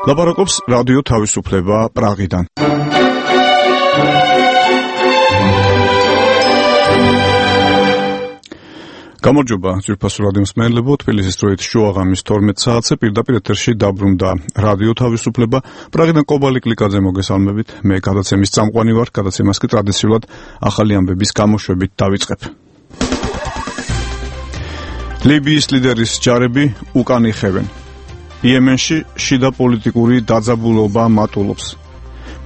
ლაპარაკობს რადიო თავისუფლება პრაღიდან. გამარჯობა, ძვირფასო რადიო მსმენელებო, თბილისის დროით შუაღამის 12 საათზე პირდაპირ ეთერში დაბრუნდა რადიო თავისუფლება. პრაღიდან კობალი კლიკაძე მოგესალმებით. მე გადაცემის წამყვანი ვარ, გადაცემას კი ტრადიციულად ახალი ამბების გამოშვებით დავიწყებ. ლიბიის ლიდერის ჯარები უკან იხევენ. იემენში შიდა პოლიტიკური დაძაბულობა მატულობს.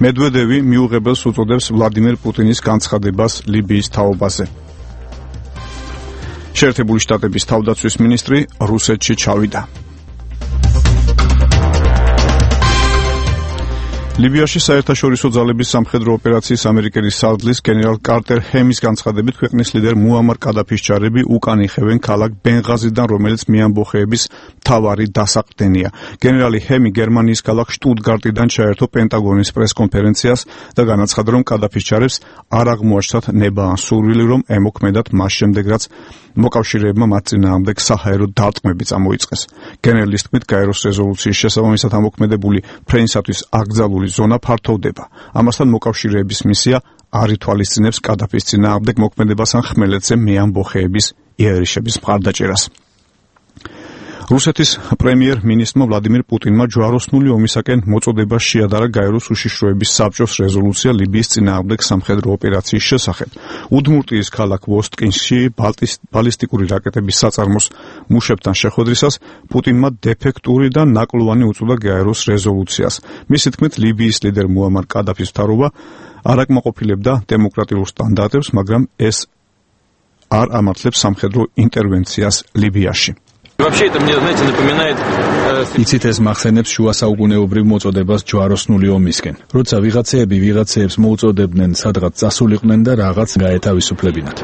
მედვედევი მიუღებელს უწოდებს ვლადიმერ პუტინის განცხადებას ლიბიის თაობაზე. შეერთებული შტატების თავდაცვის მინისტრი რუსეთში ჩავიდა. ლიბიაში საერთაშორისო ძალების სამხედრო ოპერაციის ამერიკელი სარდლის გენერალ კარტერ ჰემის განცხადებით ქვეყნის ლიდერ მუამარ კადაფის ჯარები უკან იხევენ ქალაქ ბენღაზიდან, რომელიც მეამბოხეების მთავარი დასაყრდენია. გენერალი ჰემი გერმანიის ქალაქ შტუტგარტიდან ჩაერთო პენტაგონის პრესკონფერენციას და განაცხადა, რომ კადაფის ჯარებს არ აღმოაჩნდათ ნება ან სურვილი, რომ ემოქმედათ მას შემდეგ, რაც მოკავშირეებმა მათ წინააღმდეგ საჰაერო დარტყმები წამოიწყეს. გენერლის თქმით, გაეროს რეზოლუციის შესაბამისად ამოქმედებული ფრენისათვის აკრძალული ზონა ფართოვდება. ამასთან მოკავშირეების მისია არ ითვალისწინებს კადაფის წინააღმდეგ მოქმედებას ან ხმელეთზე მეამბოხეების იერიშების მხარდაჭერას. რუსეთის პრემიერ-მინისტრმა ვლადიმირ პუტინმა ჯვაროსნული ომისაკენ მოწოდება შეადარა გაეროს უშიშროების საბჭოს რეზოლუცია ლიბიის წინააღმდეგ სამხედრო ოპერაციის შესახებ. უდმურტიის ქალაქ ვოსტკინში ბალისტიკური რაკეტების საწარმოს მუშებთან შეხვედრისას პუტინმა დეფექტური და ნაკლოვანი უწოდა გაეროს რეზოლუციას. მისი თქმით, ლიბიის ლიდერ მუამარ კადაფის მთავრობა არ აკმაყოფილებდა დემოკრატიულ სტანდარტებს, მაგრამ ეს არ ამართლებს სამხედრო ინტერვენციას ლიბიაში. იცით, ეს მახსენებს შუა საუკუნეობრივ მოწოდებას ჯვაროსნული ომისკენ. როცა ვიღაცეები ვიღაცეებს მოუწოდებდნენ სადღაც წასულიყვნენ და რაღაც გაეთავისუფლებინათ.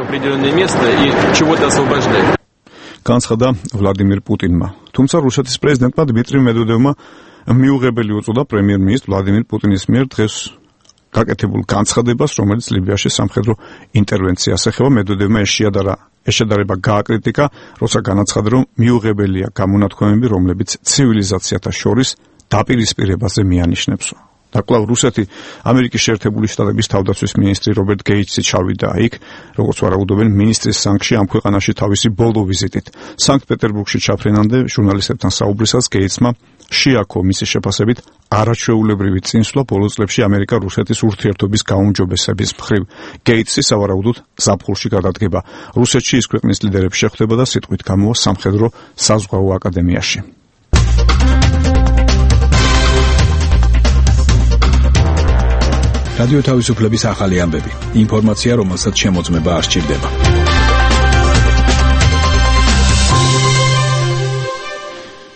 განცხადა ვლადიმირ პუტინმა. თუმცა რუსეთის პრეზიდენტმა დმიტრი მედვედევმა მიუღებელი უწოდა პრემიერ-მინისტრ ვლადიმირ პუტინის მიერ დღეს გაკეთებულ განცხადებას, რომელიც ლიბიაში სამხედრო ინტერვენციას ეხება. მედვედევმა ეს შედარება გააკრიტიკა, როცა განაცხადა, რომ მიუღებელია გამონათქვამები, რომლებიც ცივილიზაციათა შორის დაპირისპირებაზე მიანიშნებსო. და კვლავ რუსეთი ამერიკის შეერთებული შტატების თავდაცვის მინისტრი რობერტ გეიტსი ჩავიდა იქ, როგორც ვარაუდობენ მინისტრის სანგში ამ ქვეყანაში თავისი ბოლო ვიზიტით. სანქტ-პეტერბურგში ჩაფრენამდე ჟურნალისტებთან საუბრისას გეიტსმა შეაქო მისი შეფასებით არაჩვეულებრივი წინსვლა ბოლო წლებში ამერიკა-რუსეთის ურთიერთობის გაუმჯობესების მხრივ. გეიტსი სავარაუდოდ ზაფხულში გადადგება რუსეთში, ის ქვეყნის ლიდერებს შეხვდება და სიტყვით გამოვა სამხედრო საზღვაო აკადემიაში. რადიო თავისუფლების ახალი ამბები. ინფორმაცია, რომელსაც შემოწმება არ სჭირდება.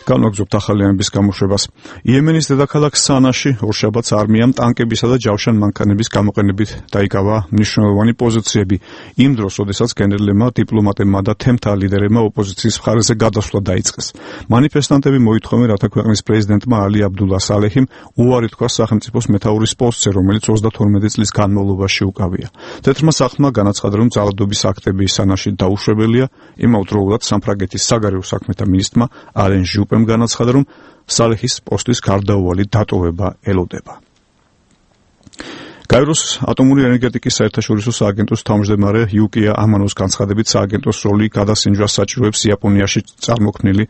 განვაგრძობთ ახალი ამბების გამოშვებას. იემენის დედაქალაქ სანაში ორშაბათს არმიამ ტანკებისა და ჯავშან-მანქანების გამოყენებით დაიკავა მნიშვნელოვანი პოზიციები. იმ დროს, როდესაც გენერლებმა, დიპლომატებმა და თემთა ლიდერებმა ოპოზიციის მხარეზე გადასვლა დაიწყეს. მანიფესტანტები მოითხოვენ, რათა ქვეყნის პრეზიდენტმა ალი აბდულა სალეჰიმ უარი თქვას სახელმწიფოს მეთაურის პოსტზე, რომელიც 32 წლის განმავლობაში უკავია. თეთრმა სახლმა განაცხადა, რომ ძალადობის აქტები სანაში დაუშვებელია. იმავდროულად სამფრაგეთის საგარეო საქმეთა მინისტრმა ალენ ჟუპემ განაცხადა, რომ სალეჰის პოსტის გარდაუვალი დატოვება ელოდება. გაეროს ატომური ენერგეტიკის საერთაშორისო სააგენტოს თავმჯდომარე იუკია ამანოს განცხადებით, სააგენტოს როლი გადასინჯვას საჭიროებს იაპონიაში წარმოქმნილი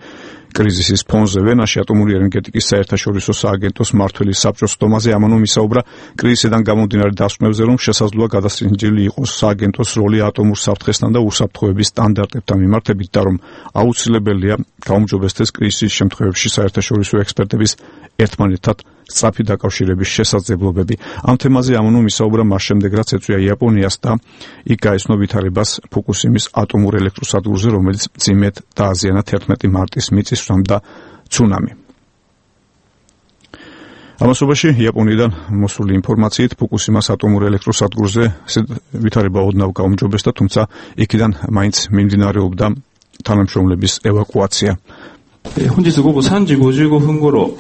კრიზისის ფონზე. ვენაში ატომური ენერგეტიკის საერთაშორისო სააგენტოს მმართველის საბჭოს ხდომაზე ამანომ ისაუბრა კრიზისიდან გამომდინარე დასკვნებზე, რომ შესაძლოა გადასინჯილი იყოს სააგენტოს როლი ატომურ საფრთხესთან და უსაფრთხოების სტანდარტებთან მიმართებით და რომ აუცილებელია გაუმჯობესდეს კრიზისის შემთხვევებში საერთაშორისო ექსპერტების ერთმანეთთან სწრაფი დაკავშირების შესაძლებლობები. ამ თემაზე ამანომ ისაუბრა მას შემდეგ, რაც ეწვია იაპონიას და იქ გაეცნო ვითარებას ფუკუსიმის ატომურ ელექტროსადგურზე, რომელიც მძიმედ დააზიანა 11 მარტის მიწისძვრამ და ცუნამი. ამასობაში იაპონიიდან მოსული ინფორმაციით ფუკუსიმას ატომურ ელექტროსადგურზე ვითარება ოდნავ გაუმჯობესდა, თუმცა იქიდან მაინც მიმდინარეობდა თანამშრომლების ევაკუაცია. 혼자서 고고 3지 55분頃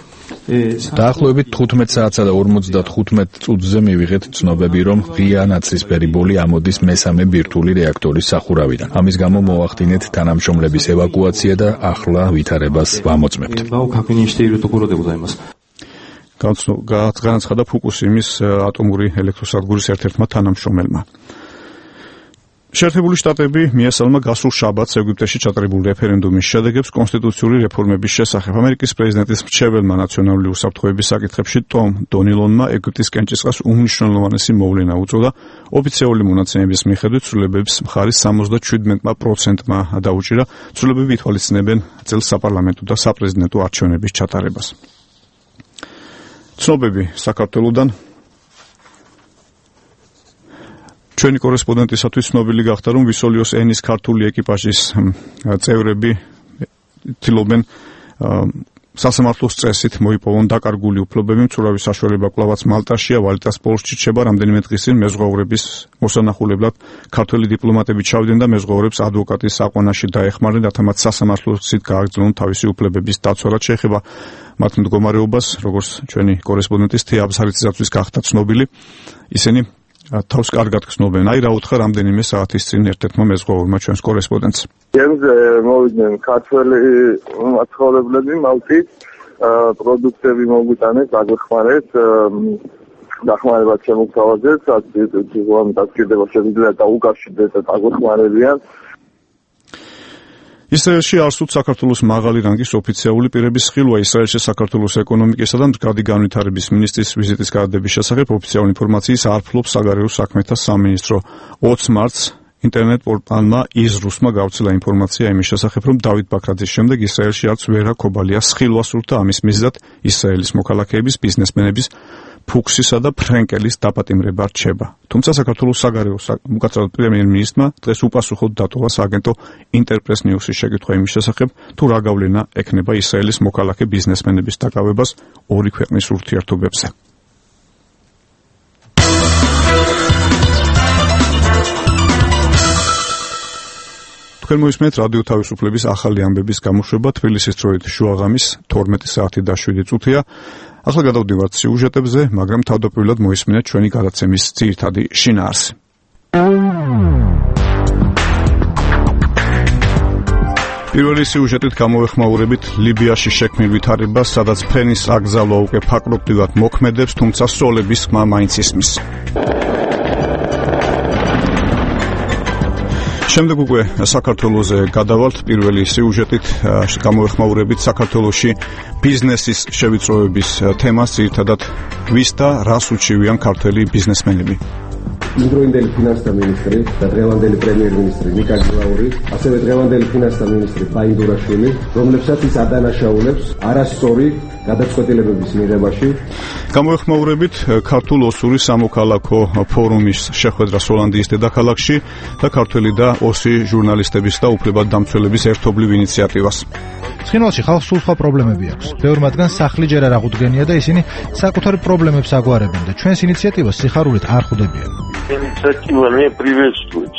დაახლოებით 15 საათსა და 55 წუთზე მივიღეთ ცნობები, რომ ღია ნაცრისფერი ბოლი ამოდის მესამე ბირთვული რეაქტორის სახურავიდან. ამის გამო მოვახდინეთ თანამშრომლების ევაკუაცია და ახლა ვითარებას ვამოწმებთ. განაცხადა ფუკუსიმის ატომური ელექტროსადგურის ერთ-ერთმა თანამშრომელმა. შეერთებული შტატები მიესალმა გასულ შაბათს ეგვიპტეში ჩატარებულ რეფერენდუმის შედეგებს კონსტიტუციური რეფორმების შესახებ. ამერიკის პრეზიდენტის მრჩეველმა ნაციონალური უსაფრთხოების საკითხებში ტომ დონილონმა ეგვიპტის კენჭისყრას უმნიშვნელოვანესი მოვლენა უწოდა. ოფიციალური მონაცემების მიხედვით ცვლილებების მხარის 77%-მა დაუჭირა. ცვლილებები ითვალისწინებენ წელს საპარლამენტო და საპრეზიდენტო არჩევნების ჩატარებას. ცნობები საქართველოდან ჩვენი კორესპონდენტისათვის ცნობილი გახდა, რომ ვისოლიოს ენის ქართული ეკიპაჟის წევრები ცდილობენ სასამართლოს წესით მოიპოვონ დაკარგული უფლებები. მცურავი საშუალება კვლავაც მალტაშია, ვალიტას პოლსში რჩება. რამდენიმე დღის წინ მეზღვაურების მოსანახულებლად ქართველი დიპლომატები ჩავდნენ და მეზღვაურებს ადვოკატის საყვანაში დაეხმარნენ, რათა მათ სასამართლოსით გააგრძელონ თავისი უფლებების დაცვა. რაც შეეხება მათ მდგომარეობას, როგორც ჩვენი კორესპონდენტის თეა აბზარიძის გახდა ცნობილი, ისინი თავს კარგად გრძნობენ. აი რა უთხრა რამდენიმე საათის წინ ერთ-ერთმა მეზღვაურმა ჩვენს კორესპონდენტს. გემზე მოვიდნენ ქართველი მაცხოვრებლები მალტის, პროდუქტები მოგვიტანეს, აგვეხმარეთ, დახმარებად შემოგთავაზეთ, დასკირდება შეგვიძლია დაუკავშირდეთ და აგვეხმარებიან. ისრაელში არსუთ საქართველოს მაღალი რანგის ოფიციალური პირების ხილვა. ისრაელში საქართველოს ეკონომიკისა და მდგრადი განვითარების მინისტრის ვიზიტის გადადების შესახებ ოფიციალური ინფორმაციის არ ფლობს საგარეო საქმეთა სამინისტრო. 20 მარტს ინტერნეტ პორტალმა იზრუსმა გავრცელა ინფორმაცია იმის შესახებ, რომ დავით ბაქრაძის შემდეგ ისრაელში არც ვერა ქობალიას ხილვა სურდა. ამის მიზეზად ისრაელის მოქალაქეების, ბიზნესმენების, ფუქსისა და ფრენკელის დაპატიმრება რჩება. თუმცა საქართველოს საგარეო უკაცრავად პრემიერ-მინისტრმა დღეს უპასუხოდ დატოვა სააგენტო ინტერპრეს ნიუსის შეკითხვა იმის შესახებ, თუ რა გავლენა ექნება ისრაელის მოქალაქე ბიზნესმენების დაკავებას ორი ქვეყნის ურთიერთობებზე. თქვენ მოისმენთ რადიო თავისუფლების ახალი ამბების გამოშვება თბილისის დროით შუაღამის 12 საათი და 7 წუთია. ახლა გადავდივართ სიუჟეტებზე, მაგრამ თავდაპირველად მოისმინეთ ჩვენი გადაცემის ძირითადი შინაარსი. პირველი სიუჟეტით გამოვეხმაურებით ლიბიაში შექმნილ ვითარებას, სადაც ფრენის აკრძალვა უკვე ფაქტობრივად მოქმედებს, თუმცა სროლების ხმა მაინც ისმის. შემდეგ უკვე საქართველოზე გადავალთ. პირველი სიუჟეტით გამოვეხმაურებით საქართველოში ბიზნესის შევიწროების თემას, ძირითადად ვის და რას უჩივიან ქართველი ბიზნესმენები. იმდროინდელი ფინანსთა მინისტრი და დღევანდელი პრემიერ-მინისტრი ნიკა გილაური, ასევე დღევანდელი ფინანსთა მინისტრი ფაინდურაშვილი, რომლებსაც ის ადანაშაულებს არასწორი გადაწყვეტილებების მიღებაში. გამოვეხმაურებით ქართულ ოსური სამოქალაქო ფორუმის შეხვედრას ჰოლანდიის დედაქალაქში და ქართველი და ოსი ჟურნალისტების და უფლებადდამცველების ერთობლივ ინიციატივას. ცხინვალში ხალხს სულ სხვა პრობლემები აქვს. ბევრ მათგანს სახლი ჯერ არ აღუდგენია და ისინი საკუთარი პრობლემებს აგვარებენ და ჩვენს ინიციატივას სიხარულით არ ხვდებიან. ინიციატივა მე პრივესტუიც.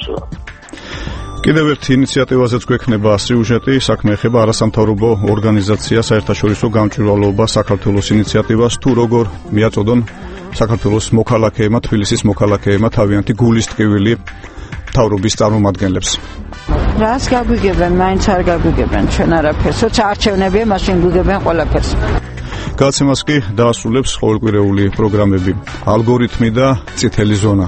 კიდევ ერთ ინიციატივაზეც გვექნება სიუჟეტი. საქმე ეხება არასამთავრობო ორგანიზაცია საერთაშორისო გამჭვირვალეობა საქართველოს ინიციატივას, თუ როგორ მიაწოდონ საქართველოს მოქალაქეებმა, თბილისის მოქალაქეებმა თავიანთი გულის ტკივილი მთავრობის წარმომადგენლებს. რას გაგვიგებენ, მაინც არ გაგვიგებენ ჩვენ არაფერს. როცა არჩევნებია, მაშინ გვიგებენ ყველაფერს. გადაცემას კი დაასრულებს ყოველკვირეული პროგრამები ალგორითმი და წითელი ზონა.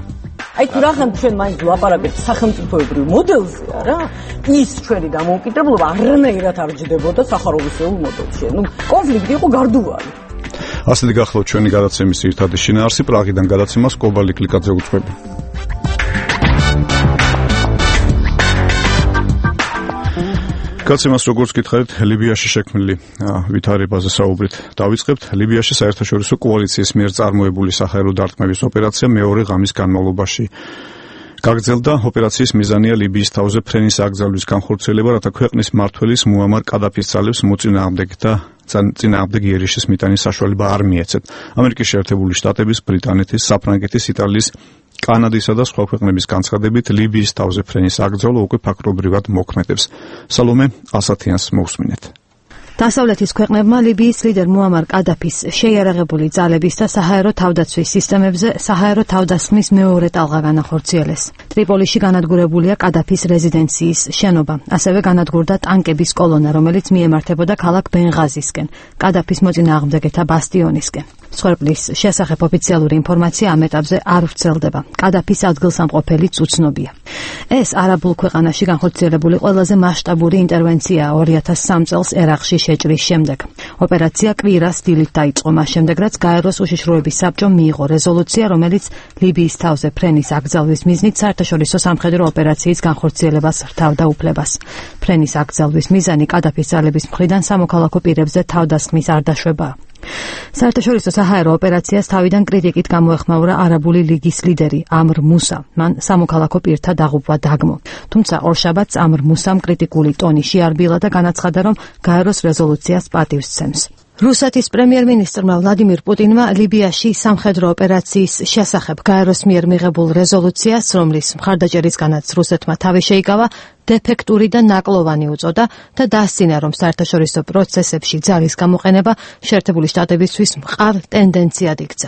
აი თუ რახან ჩვენ მაინც ვლაპარაკებთ სახელმწიფოებრივ მოდელზე, არა? ის ჩვენი დამოუკიდებლობა არანაირად არ ჯდებოდა სახაროვისეულ მოდელში. კონფლიქტი იყო გარდუვალი. ასეთი გახლავთ ჩვენი გადაცემის ძირითადი შინაარსი. პრაღიდან გადაცემას კობალი კლიკაძე უძღვები. გადაცემას როგორც გითხარით, ლიბიაში შექმნილი ვითარებაზე საუბრით დავიწყებთ. ლიბიაში საერთაშორისო კოალიციის მიერ წარმოებული საჰაერო დარტყმების ოპერაცია მეორე ღამის განმავლობაში გაგრძელდა. ოპერაციის მიზანია ლიბიის თავზე ფრენის აკრძალვის განხორციელება, რათა ქვეყნის მმართველის მუამარ კადაფის ძალებს მოწინააღმდეგეთ და წინააღმდეგ იერიშის მიტანის საშუალება არ მიეცეთ. ამერიკის შეერთებული შტატების, ბრიტანეთის, საფრანგეთის, იტალიის, კანადისა და სხვა ქვეყნების განცხადებით ლიბიის თავზე ფრენის აკრძალვა უკვე ფაქტობრივად მოქმედებს. სალომე ასათიანს მოусმინეთ. დასავლეთის ქვეყნებმა ლიბიის ლიდერ მუამარ კადაფის შეიარაღებული ძალების და საჰაერო თავდაცვის სისტემებზე საჰაერო თავდასხმის მეორე ტალღა განახორციელეს. ტრიპოლიში განადგურებულია კადაფის რეზიდენციის შენობა. ასევე განადგურდა ტანკების კოლონა, რომელიც მიემართებოდა ქალაქ ბენღაზისკენ, კადაფის მოწინააღმდეგეთა ბასტიონისკენ. მსხვერპლის შესახებ ოფიციალური ინფორმაცია ამ ეტაპზე არ ვრცელდება. კადაფის ადგილსამყოფელიც უცნობია. ეს არაბულ ქვეყანაში განხორციელებული ყველაზე მასშტაბური ინტერვენციაა 2003 წელს ერაყში შეჭრის შემდეგ. ოპერაცია კვირას დილით დაიწყო, მას შემდეგ რაც გაეროს უშიშროების საბჭომ მიიღო რეზოლუცია, რომელიც ლიბიის თავზე ფრენის აკრძალვის მიზნით საერთაშორისო სამხედრო ოპერაციის განხორციელებას რთავდა უფლებას. ფრენის აკრძალვის მიზანი კადაფის ძალების მხრიდან სამოქალაქო პირებზე თავდასხმის არ დაშვებაა. საერთაშორისო საჰაერო ოპერაციას თავიდან კრიტიკით გამოეხმაურა არაბული ლიგის ლიდერი ამრ მუსა. მან სამოქალაქო პირთა დაღუპვა დაგმო. თუმცა ორშაბათს ამრ მუსამ კრიტიკული ტონი შეარბილა და განაცხადა, რომ გაეროს რეზოლუციას პატივს სცემს. რუსეთის პრემიერ-მინისტრმა ვლადიმირ პუტინმა ლიბიაში სამხედრო ოპერაციის შესახებ გაეროს მიერ მიღებულ რეზოლუციას, რომლის მხარდაჭერისგანაც რუსეთმა თავი შეიკავა, დეფექტური და ნაკლოვანი უწოდა და დასცინა, რომ საერთაშორისო პროცესებში ძალის გამოყენება შეერთებული შტატებისთვის მყარ ტენდენციად იქცა.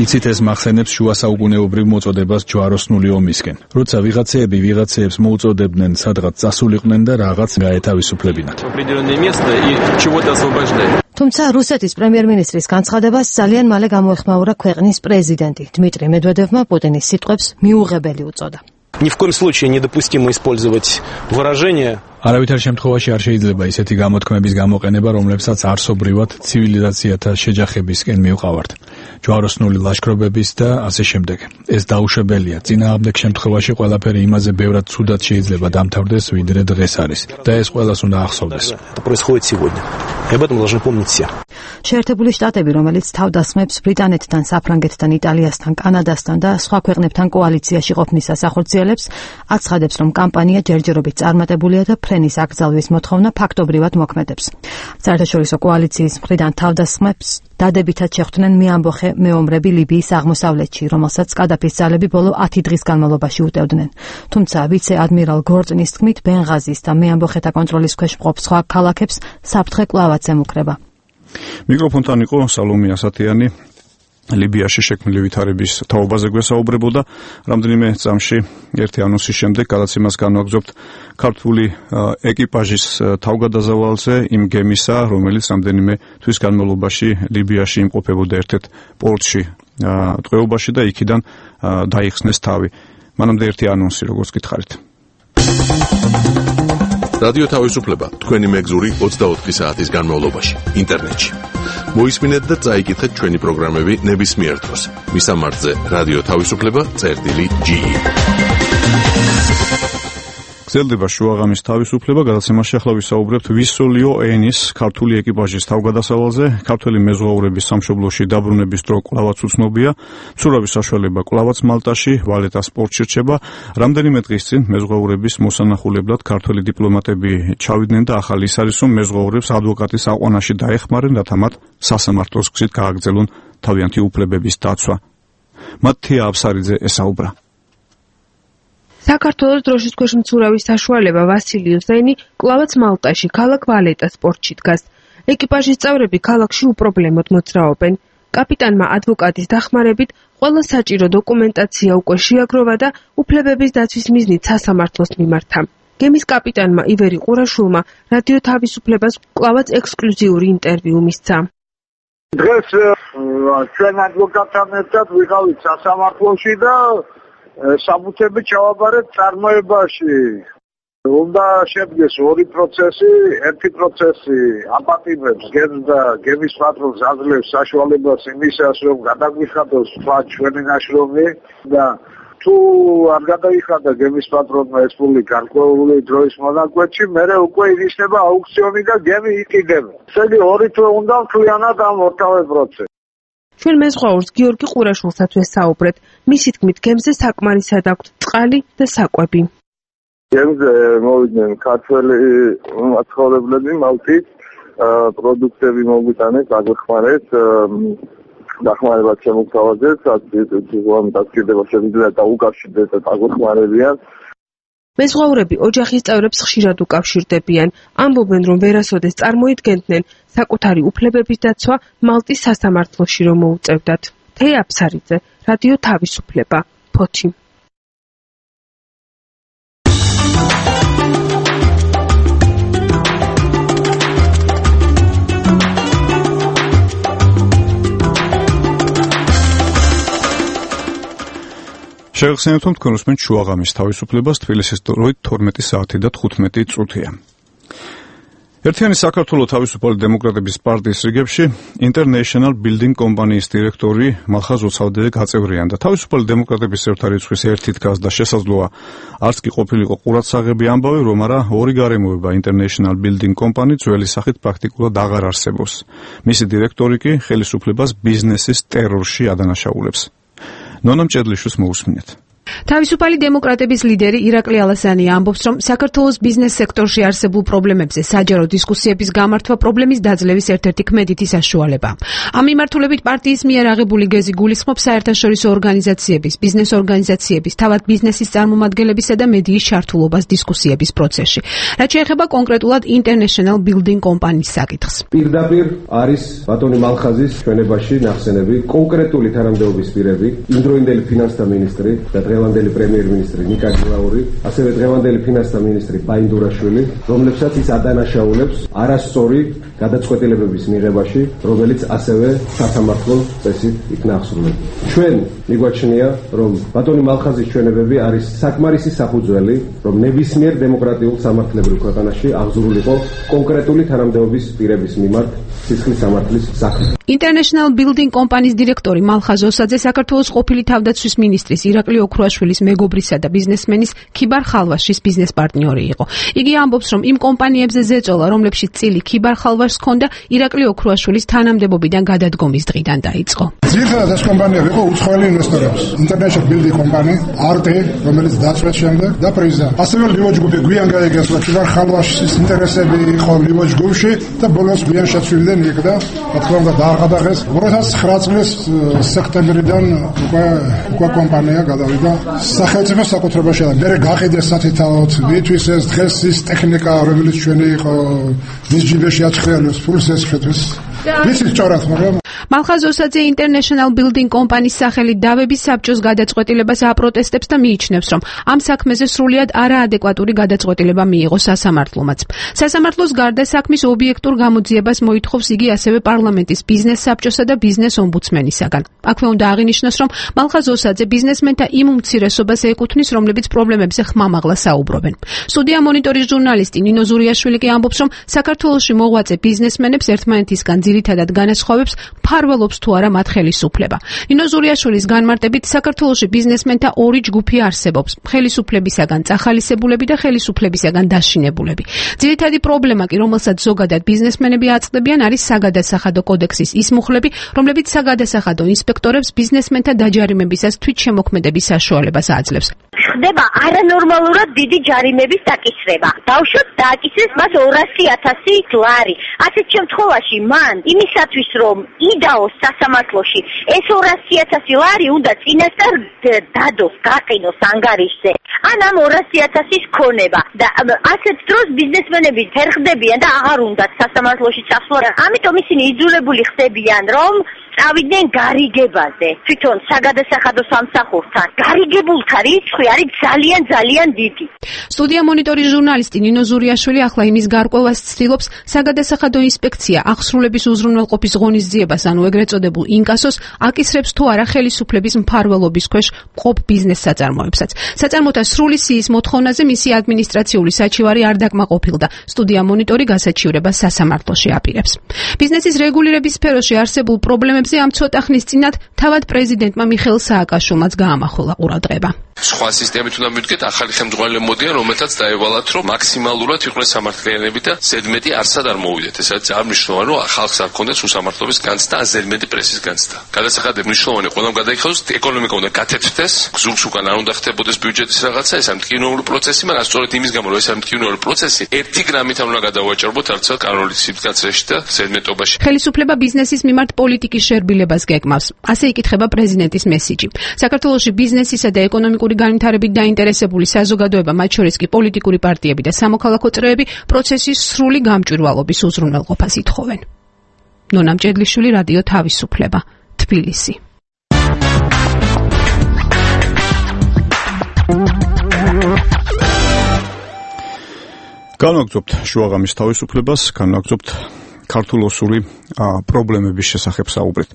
იცით, ეს მახსენებს შუა საუკუნეობრივ მოწოდებას ჯვაროსნული ომისკენ, როცა ვიღაცეები ვიღაცეებს მოუწოდებდნენ სადღაც წასულიყვნენ და რაღაც გაეთავისუფლებინათ. თუმცა რუსეთის პრემიერ-მინისტრის განცხადებას ძალიან მალე გამოეხმაურა ქვეყნის პრეზიდენტი. დმიტრი მედვედევმა პუტინის სიტყვებს მიუღებელი უწოდა. Ни в коем случае недопустимо использовать выражения. არავითარ შემთხვევაში არ შეიძლება ისეთი გამოთქმების გამოყენება, რომლებსაც არსობრივად ცივილიზაციათა შეჯახებისკენ მივყავართ. ჯვაროსნული ლაშქრობების და ასე შემდეგ. ეს დაუშვებელია. წინააღმდეგ შემთხვევაში ყველაფერი იმაზე ბევრად ცუდად შეიძლება დამთავრდეს, ვიდრე დღეს არის. და ეს ყველას უნდა ახსოვდეს. შეერთებული შტატები, რომელიც თავდასხმებს ბრიტანეთთან, საფრანგეთთან, იტალიასთან, კანადასთან და სხვა ქვეყნებთან კოალიციაში ყოფნისას ახორციელებს, აცხადებს, რომ კამპანია ჯერჯერობით წარმატებულია და ფრენის აკრძალვის მოთხოვნა ფაქტობრივად მოქმედებს. საერთაშორისო კოალიციის მხრიდან თავდასხმებს დადებითად შეხვდნენ მეამბოხე მეომრები ლიბიის აღმოსავლეთში, რომელსაც კადაფის ძალები ბოლო 10 დღის განმავლობაში უტევდნენ. თუმცა ვიცე-ადმირალ გორწნის თქმით, ბენღაზის და მეამბოხეთა კონტროლის ქვეშ მყოფ სხვა ქალაქებს საფრთხე კვლავაც ემუქრება. მიკროფონთან იყო სალომე ასათიანი. ლიბიაში შექმნილი ვითარების თაობაზე გვესაუბრებოდა. რამდენიმე წამში ერთი ანონსის შემდეგ გადაცემას განვაგრძობთ ქართული ეკიპაჟის თავგადაზავალზე იმ გემისა, რომელიც რამდენიმე თვის განმავლობაში ლიბიაში იმყოფებოდა ერთ-ერთ პორტში ტყვეობაში და იქიდან დაიხსნეს თავი. მანამდე ერთი ანონსი, როგორც გითხარით. რადიო თავისუფლება, თქვენი მეგზური 24 საათის განმავლობაში, ინტერნეტში. მოისმინეთ და წაიკითხეთ ჩვენი პროგრამები ნებისმიერ დროს. მისამართზე რადიო თავისუფლება.ge. გრძელდება შუაღამის თავისუფლება, გადაცემაში ახლა ვისაუბრებთ ვისოლიო ენის ქართული ეკიპაჟის თავგადასავალზე. ქართველი მეზღვაურების სამშობლოში დაბრუნების დრო კვლავაც უცნობია. მცურავი საშუალება კვლავაც მალტაში, ვალეტას პორტში რჩება. რამდენიმე დღის წინ მეზღვაურების მოსანახულებლად ქართველი დიპლომატები ჩავიდნენ და ახალი ის არის, რომ მეზღვაურებს ადვოკატის აყვანაში დაეხმარენ, რათა მათ სასამართლოს გზით გააგრძელონ თავიანთი უფლებების დაცვა. მათია აბსარიძე ესაუბრა. საქართველოს დროშის ქვეშ მცურავის საშუალება ვასილი უსაინი კვლავაც მალტაში, ქალაქ ვალეტას პორტში დგას. ეკიპაჟის წევრები ქალაქში უპრობლემოდ მოძრაობენ. კაპიტანმა ადვოკატის დახმარებით ყველა საჭირო დოკუმენტაცია უკვე შეაგროვა და უფლებების დაცვის მიზნით სასამართლოს მიმართა. გემის კაპიტანმა ივერი ყურაშვილმა რადიო თავისუფლებას კვლავაც ექსკლუზიური ინტერვიუ მისცა. დღეს ჩვენ ადვოკატთან ერთად ვიყავით სასამართლოში და საბუთები ჩავაბარეთ წარმოებაში. უნდა შედგეს ორი პროცესი, ერთი პროცესი აპატიმებს გემს და გემის პატრონს აძლევს საშუალებას იმისას, რომ გადაგვიხადოს სხვა ჩვენი ნაშრომი და თუ არ გადაიხადა გემის პატრონმა ეს ფული გარკვეული დროის მონაკვეთში, მერე უკვე ინიშნება აუქციონი და გემი იყიდება. ესე ორი თვე უნდა მთლიანად ამ ორთავე პროცესს. ჩვენ მეზღვაურს გიორგი ყურაშვილსაც ვესაუბრეთ. მისი თქმით, გემზე საკმარისად აქვთ წყალი და საკვები. გემზე მოვიდნენ ქართველი მაცხოვრებლები მალტის, პროდუქტები მოგვიტანეს, აგვეხმარეთ, დახმარება შემოგთავაზეს, დაწკირდება შეგვიძლია დაუკავშირდეთ და აგვეხმარებიან. მეზღვაურები ოჯახის წევრებს ხშირად უკავშირდებიან, ამბობენ, რომ ვერასოდეს წარმოიდგენდნენ საკუთარი უფლებების დაცვა მალტის სასამართლოში რომ მოუწევდათ. თეა აფსარიძე, რადიო თავისუფლება, ფოთი. შეგახსენებთ, რომ თქვენ უსმენთ შუაღამის თავისუფლებას, თბილისის დროით 12 საათი და 15 წუთია. ერთიანი საქართველოს თავისუფალი დემოკრატების პარტიის რიგებში International Building კომპანიის დირექტორი მალხაზ ოცავდე გაწევრიანდა. თავისუფალი დემოკრატების ერთ რიცხვის ერთი დგას და შესაძლოა არც კი ყოფილიყო ყურადსაღები ამბავი, რომ არა ორი გარემოება International Building კომპანია ძველი სახით პრაქტიკულად აღარ არსებობს. მისი დირექტორი კი ხელისუფლებას ბიზნესის ტერორში ადანაშაულებს. ნონა მჭედლიშვილს მოусმინეთ. თავისუფალი დემოკრატების ლიდერი ირაკლი ალასიანი ამბობს, რომ საქართველოს ბიზნეს სექტორში არსებულ პრობლემებზე საჯარო დისკუსიების გამართვა პრობლემის დაძლევის ერთ-ერთი ქმედითი საშუალებაა. ამ მიმართულებით პარტიის მიერ აღებული გეზი გულისხმობს საერთაშორისო ორგანიზაციების, ბიზნეს ორგანიზაციების, თავად ბიზნესის წარმომადგენლებისა და მედიის ჩართულობას დისკუსიების პროცესში. რაც შეეხება კონკრეტულად International Building კომპანიის საკითხს. პირდაპირ არის ბატონი მალხაზის ჩვენებაში ნახსენები კონკრეტული თანამდებობის პირები, იმდროინდელი ფინანსთა მინისტრი და დღევანდელი პრემიერ-მინისტრი ნიკა გილაური, ასევე დღევანდელი ფინანსთა მინისტრი ბაინდურაშვილი, რომლებსაც ის ადანაშაულებს არასწორი გადაწყვეტილებების მიღებაში, რომელიც ასევე სასამართლო წესით იქნა აღსრულებული. ჩვენ მიგვაჩნია, რომ ბატონი მალხაზის ჩვენებები არის საკმარისი საფუძველი, რომ ნებისმიერ დემოკრატიულ სამართლებრივ ქვეყანაში აღზრდულიყო კონკრეტული თანამდებობის პირების მიმართ სისხლის სამართლის საქმე. International Building კომპანიის დირექტორი მალხაზ ოსაძე საქართველოს ყოფილი თავდაცვის მინისტრის ირაკლი ოქრუაშვილის მეგობრისა და ბიზნესმენის ქიბარ ხალვაშის ბიზნეს პარტნიორი იყო. იგი ამბობს, რომ იმ კომპანიებზე ზეწოლა, რომლებშიც წილი ქიბარ ხალვაშს ჰქონდა, ირაკლი ოქრუაშვილის თანამდებობიდან გადადგომის დღიდან დაიწყო. ძირითადად ეს კომპანიები იყო უცხოელი ინვესტორების. International Building კომპანია, არტე, რომელიც დაწვეს შემდეგ და პრეზიდენტი. ასევე ლივოჯ გუპი გვიან გაიგესა ქიბარ ხალვაშის ინტერესები იყო ლივოჯ გუპში და ბოლოს გვიან შეცვლილდნენ იქ და რა თქმა უნდა დააღადაღეს 2009 წლის სექტემბრიდან უკვე კომპანია გადავიდა სახელმწიფოს საკუთრებაში და მე გაყიდეს სათითაოდ ვითვის ეს დღეს ის ტექნიკა რომელიც ჩვენი იყო მის ჯიბეში აჩხრიალებს ფულს ეს შეთვის ვიცი სწორად მაგრამ მალხაზ ოსაძე International Building კომპანიის სახელით დავების საბჭოს გადაწყვეტილებას აპროტესტებს და მიიჩნევს, რომ ამ საქმეზე სრულიად არაადეკვატური გადაწყვეტილება მიიღო სასამართლომაც. სასამართლოს გარდა საქმის ობიექტურ გამოძიებას მოითხოვს იგი ასევე პარლამენტის ბიზნეს საბჭოსა და ბიზნეს ომბუდსმენისაგან. აქვე უნდა აღინიშნოს, რომ მალხაზ ოსაძე ბიზნესმენთა იმ უმცირესობას ეკუთვნის, რომლებიც პრობლემებზე ხმამაღლა საუბრობენ. სტუდია მონიტორის ჟურნალისტი ნინო ზურიაშვილი კი ამბობს, რომ საქართველოში მოღვაწე ბიზნესმენებს ერთმანეთისგან ძირითადად განასხვავებს მფარველობს თუ არა მათ ხელისუფლება. ნინო ზურიაშვილის განმარტებით საქართველოში ბიზნესმენთა ორი ჯგუფი არსებობს: ხელისუფლებისაგან წახალისებულები და ხელისუფლებისაგან დაშინებულები. ძირითადი პრობლემა კი, რომელსაც ზოგადად ბიზნესმენები აწყდებიან, არის საგადასახადო კოდექსის ის მუხლები, რომლებიც საგადასახადო ინსპექტორებს ბიზნესმენთა დაჯარიმებისას თვითშემოქმედების საშუალებას აძლევს. ხდება არანორმალურად დიდი ჯარიმების დაკისრება. ბავშვებს დააკისრეს მას 200,000 ლარი. ასეთ შემთხვევაში მან იმისათვის რომ იდაოს სასამართლოში ეს 200,000 ლარი უნდა წინასწარ დადოს, გაყინოს ანგარიშზე. ან ამ 200,000-ის ქონება და ასეთ დროს ბიზნესმენები ფერხდებიან და აღარ უნდათ სასამართლოში წასვლა. ამიტომ ისინი იძულებული ხდებიან რომ წავიდნენ გარიგებაზე. თვითონ საგადასახადო სამსახურთან გარიგებულთა რიცხვი არის ძალიან დიდი. სტუდია მონიტორის ჟურნალისტი ნინო ზურიაშვილი ახლა იმის გარკვევას ცდილობს საგადასახადო ინსპექცია აღსრულების უზრუნველყოფის ღონისძიებას, ანუ ეგრეთ წოდებულ ინკასოს აკისრებს თუ არა ხელისუფლების მფარველობის ქვეშ მყოფ ბიზნეს საწარმოებსაც. საწარმოთა სრული სიის მოთხოვნაზე მისი ადმინისტრაციული საჩივარი არ დაკმაყოფილდა. სტუდია მონიტორი გასაჩივრებას სასამართლოში აპირებს. ბიზნესის რეგულირების სფეროში არსებულ პრობლემებზე ამ ცოტა ხნის წინათ თავად პრეზიდენტმა მიხეილ სააკაშვილმაც გაამახვილა ყურადღება. სხვა სისტემით უნდა მივდგეთ, ახალი ხელმძღვანელები მოდიან, რომელთაც დაევალათ, რომ მაქსიმალურად იყვნენ სამართლიანები და ზედმეტი არსად არ მოვიდეთ. ეს არის ძალიან მნიშვნელოვანი, რომ ხალხს არ ქონდეს უსამართლობის განცდა. და აზერმედი პრესის განცდა. გადასახადები მნიშვნელოვანი ყველამ გადაიხადოს, ეკონომიკა უნდა გათეთრდეს, გზურს უკან არ უნდა ხდებოდეს ბიუჯეტის რაღაცა, ეს ამტკივნეული პროცესი, მაგრამ სწორედ იმის გამო, რომ ეს ამტკივნეული პროცესი ერთი გრამით არ უნდა გადავაჭრბოთ არც კანონით სიტუაციაში და ზედმეტობაში. ხელისუფლება ბიზნესის მიმართ პოლიტიკის შერბილებას გეკმავს. ასე იკითხება პრეზიდენტის მესიჯი. საქართველოში ბიზნესისა და ეკონომიკური განვითარებით დაინტერესებული საზოგადოება, მათ შორის კი პოლიტიკური პარტიები და სამოქალაქო წრეები პროცესის სრული გამჭვირვალობის უზრუნველყოფას ითხოვენ. ნონა მჭედლიშვილი, რადიო თავისუფლება, თბილისი. განვაგრძობთ შუაღამის თავისუფლებას, განვაგრძობთ ქართულ-ოსური პრობლემების შესახებ საუბრით.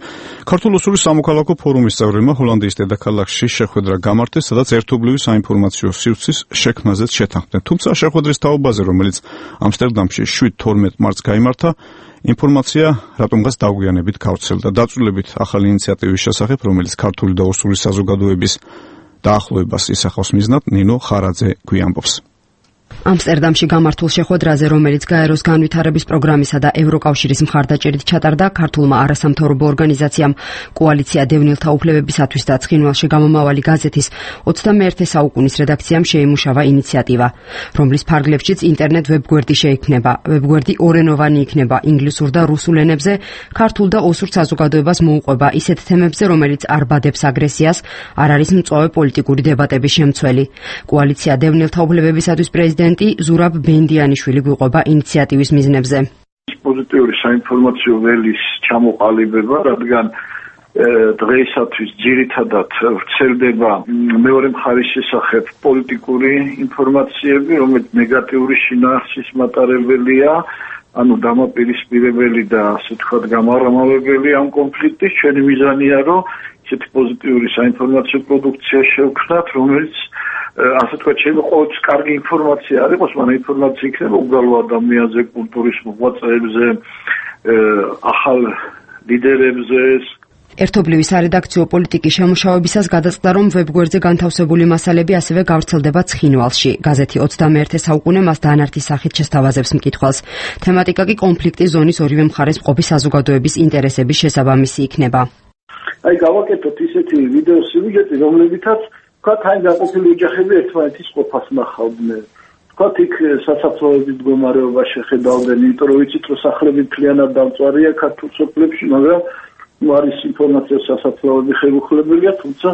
ქართულ-ოსური სამოქალაქო ფორუმის წევრებმა ჰოლანდიის დედაქალაქში შეხვედრა გამართეს, სადაც ერთობლივი საინფორმაციო სივრცის შექმნაზეც შეთანხმდნენ. თუმცა შეხვედრის თაობაზე, რომელიც ამსტერდამში 7-12 მარტს გაიმართა, ინფორმაცია რატომღაც დაგვიანებით გავრცელდა. დაწვრილებით ახალი ინიციატივის შესახებ, რომელიც ქართული და ოსური საზოგადოების დაახლოებას ისახავს მიზნად, ნინო ხარაძე გვიამბობს. ამსტერდამში გამართულ შეხვედრაზე, რომელიც გაეროს განვითარების პროგრამისა და ევროკავშირის მხარდაჭერით ჩატარდა, ქართულმა არასამთავრობო ორგანიზაციამ კოალიცია დევნილთა უფლებებისათვის და ცხინვალში გამომავალი გაზეთის 21 საუკუნის რედაქციამ შეიმუშავა ინიციატივა, რომლის ფარგლებშიც ინტერნეტ ვებგვერდი შეიქმნება. ვებგვერდი ორენოვანი იქნება, ინგლისურ და რუსულ ენებზე, ქართულ და ოსურ საზოგადოებას მოუყვება ისეთ თემებზე, რომელიც არ ბადებს აგრესიას, არ არის მწვავე პოლიტიკური დებატების შემცველი. კოალიცია დევნილთა უფლებებისათვის პრეზიდენტი ზურაბ ბენდიანიშვილი გვიყვება ინიციატივის მიზნებზე. პოზიტიური საინფორმაციო ველის ჩამოყალიბება, რადგან დღეისათვის ძირითადად ვრცელდება მეორე მხარის შესახებ პოლიტიკური ინფორმაციები, რომელიც ნეგატიური შინაარსის მატარებელია, ანუ დამაპირისპირებელი და ასე ვთქვათ გამარამავებელი ამ კონფლიქტის. ჩვენი მიზანია, რომ ისეთი პოზიტიური საინფორმაციო პროდუქცია შევქმნათ, რომელიც ასე თქვა, შეიძლება ყოველთვის კარგი ინფორმაცია არ იყოს, მაგრამ ინფორმაცია იქნება უბრალო ადამიანზე, კულტურის მოღვაწეებზე, ახალ ლიდერებზე. ერთობლივი სარედაქციო პოლიტიკის შემუშავებისას გადაწყდა, რომ ვებგვერდზე განთავსებული მასალები ასევე გავრცელდება ცხინვალში. გაზეთი 21 საუკუნე მას დანართის სახით შესთავაზებს მკითხვას. თემატიკა კი კონფლიქტის ზონის ორივე მხარეს მყოფი საზოგადოების ინტერესების შესაბამისი იქნება. აი გავაკეთოთ ისეთი ვიდეო სიუჟეტი, რომლებითაც თქვათ, აი გაყოფილი ოჯახები ერთმანეთის ყოფას ნახავდნენ. თქვათ, იქ სასაფლაოების მდგომარეობა შეხედავდნენ, იმიტომ რომ ვიცით, რომ სახლები მთლიანად დამწვარია ქართულ სოფლებში, მაგრამ არის ინფორმაცია სასაფლაოები ხელუხლებელია, თუმცა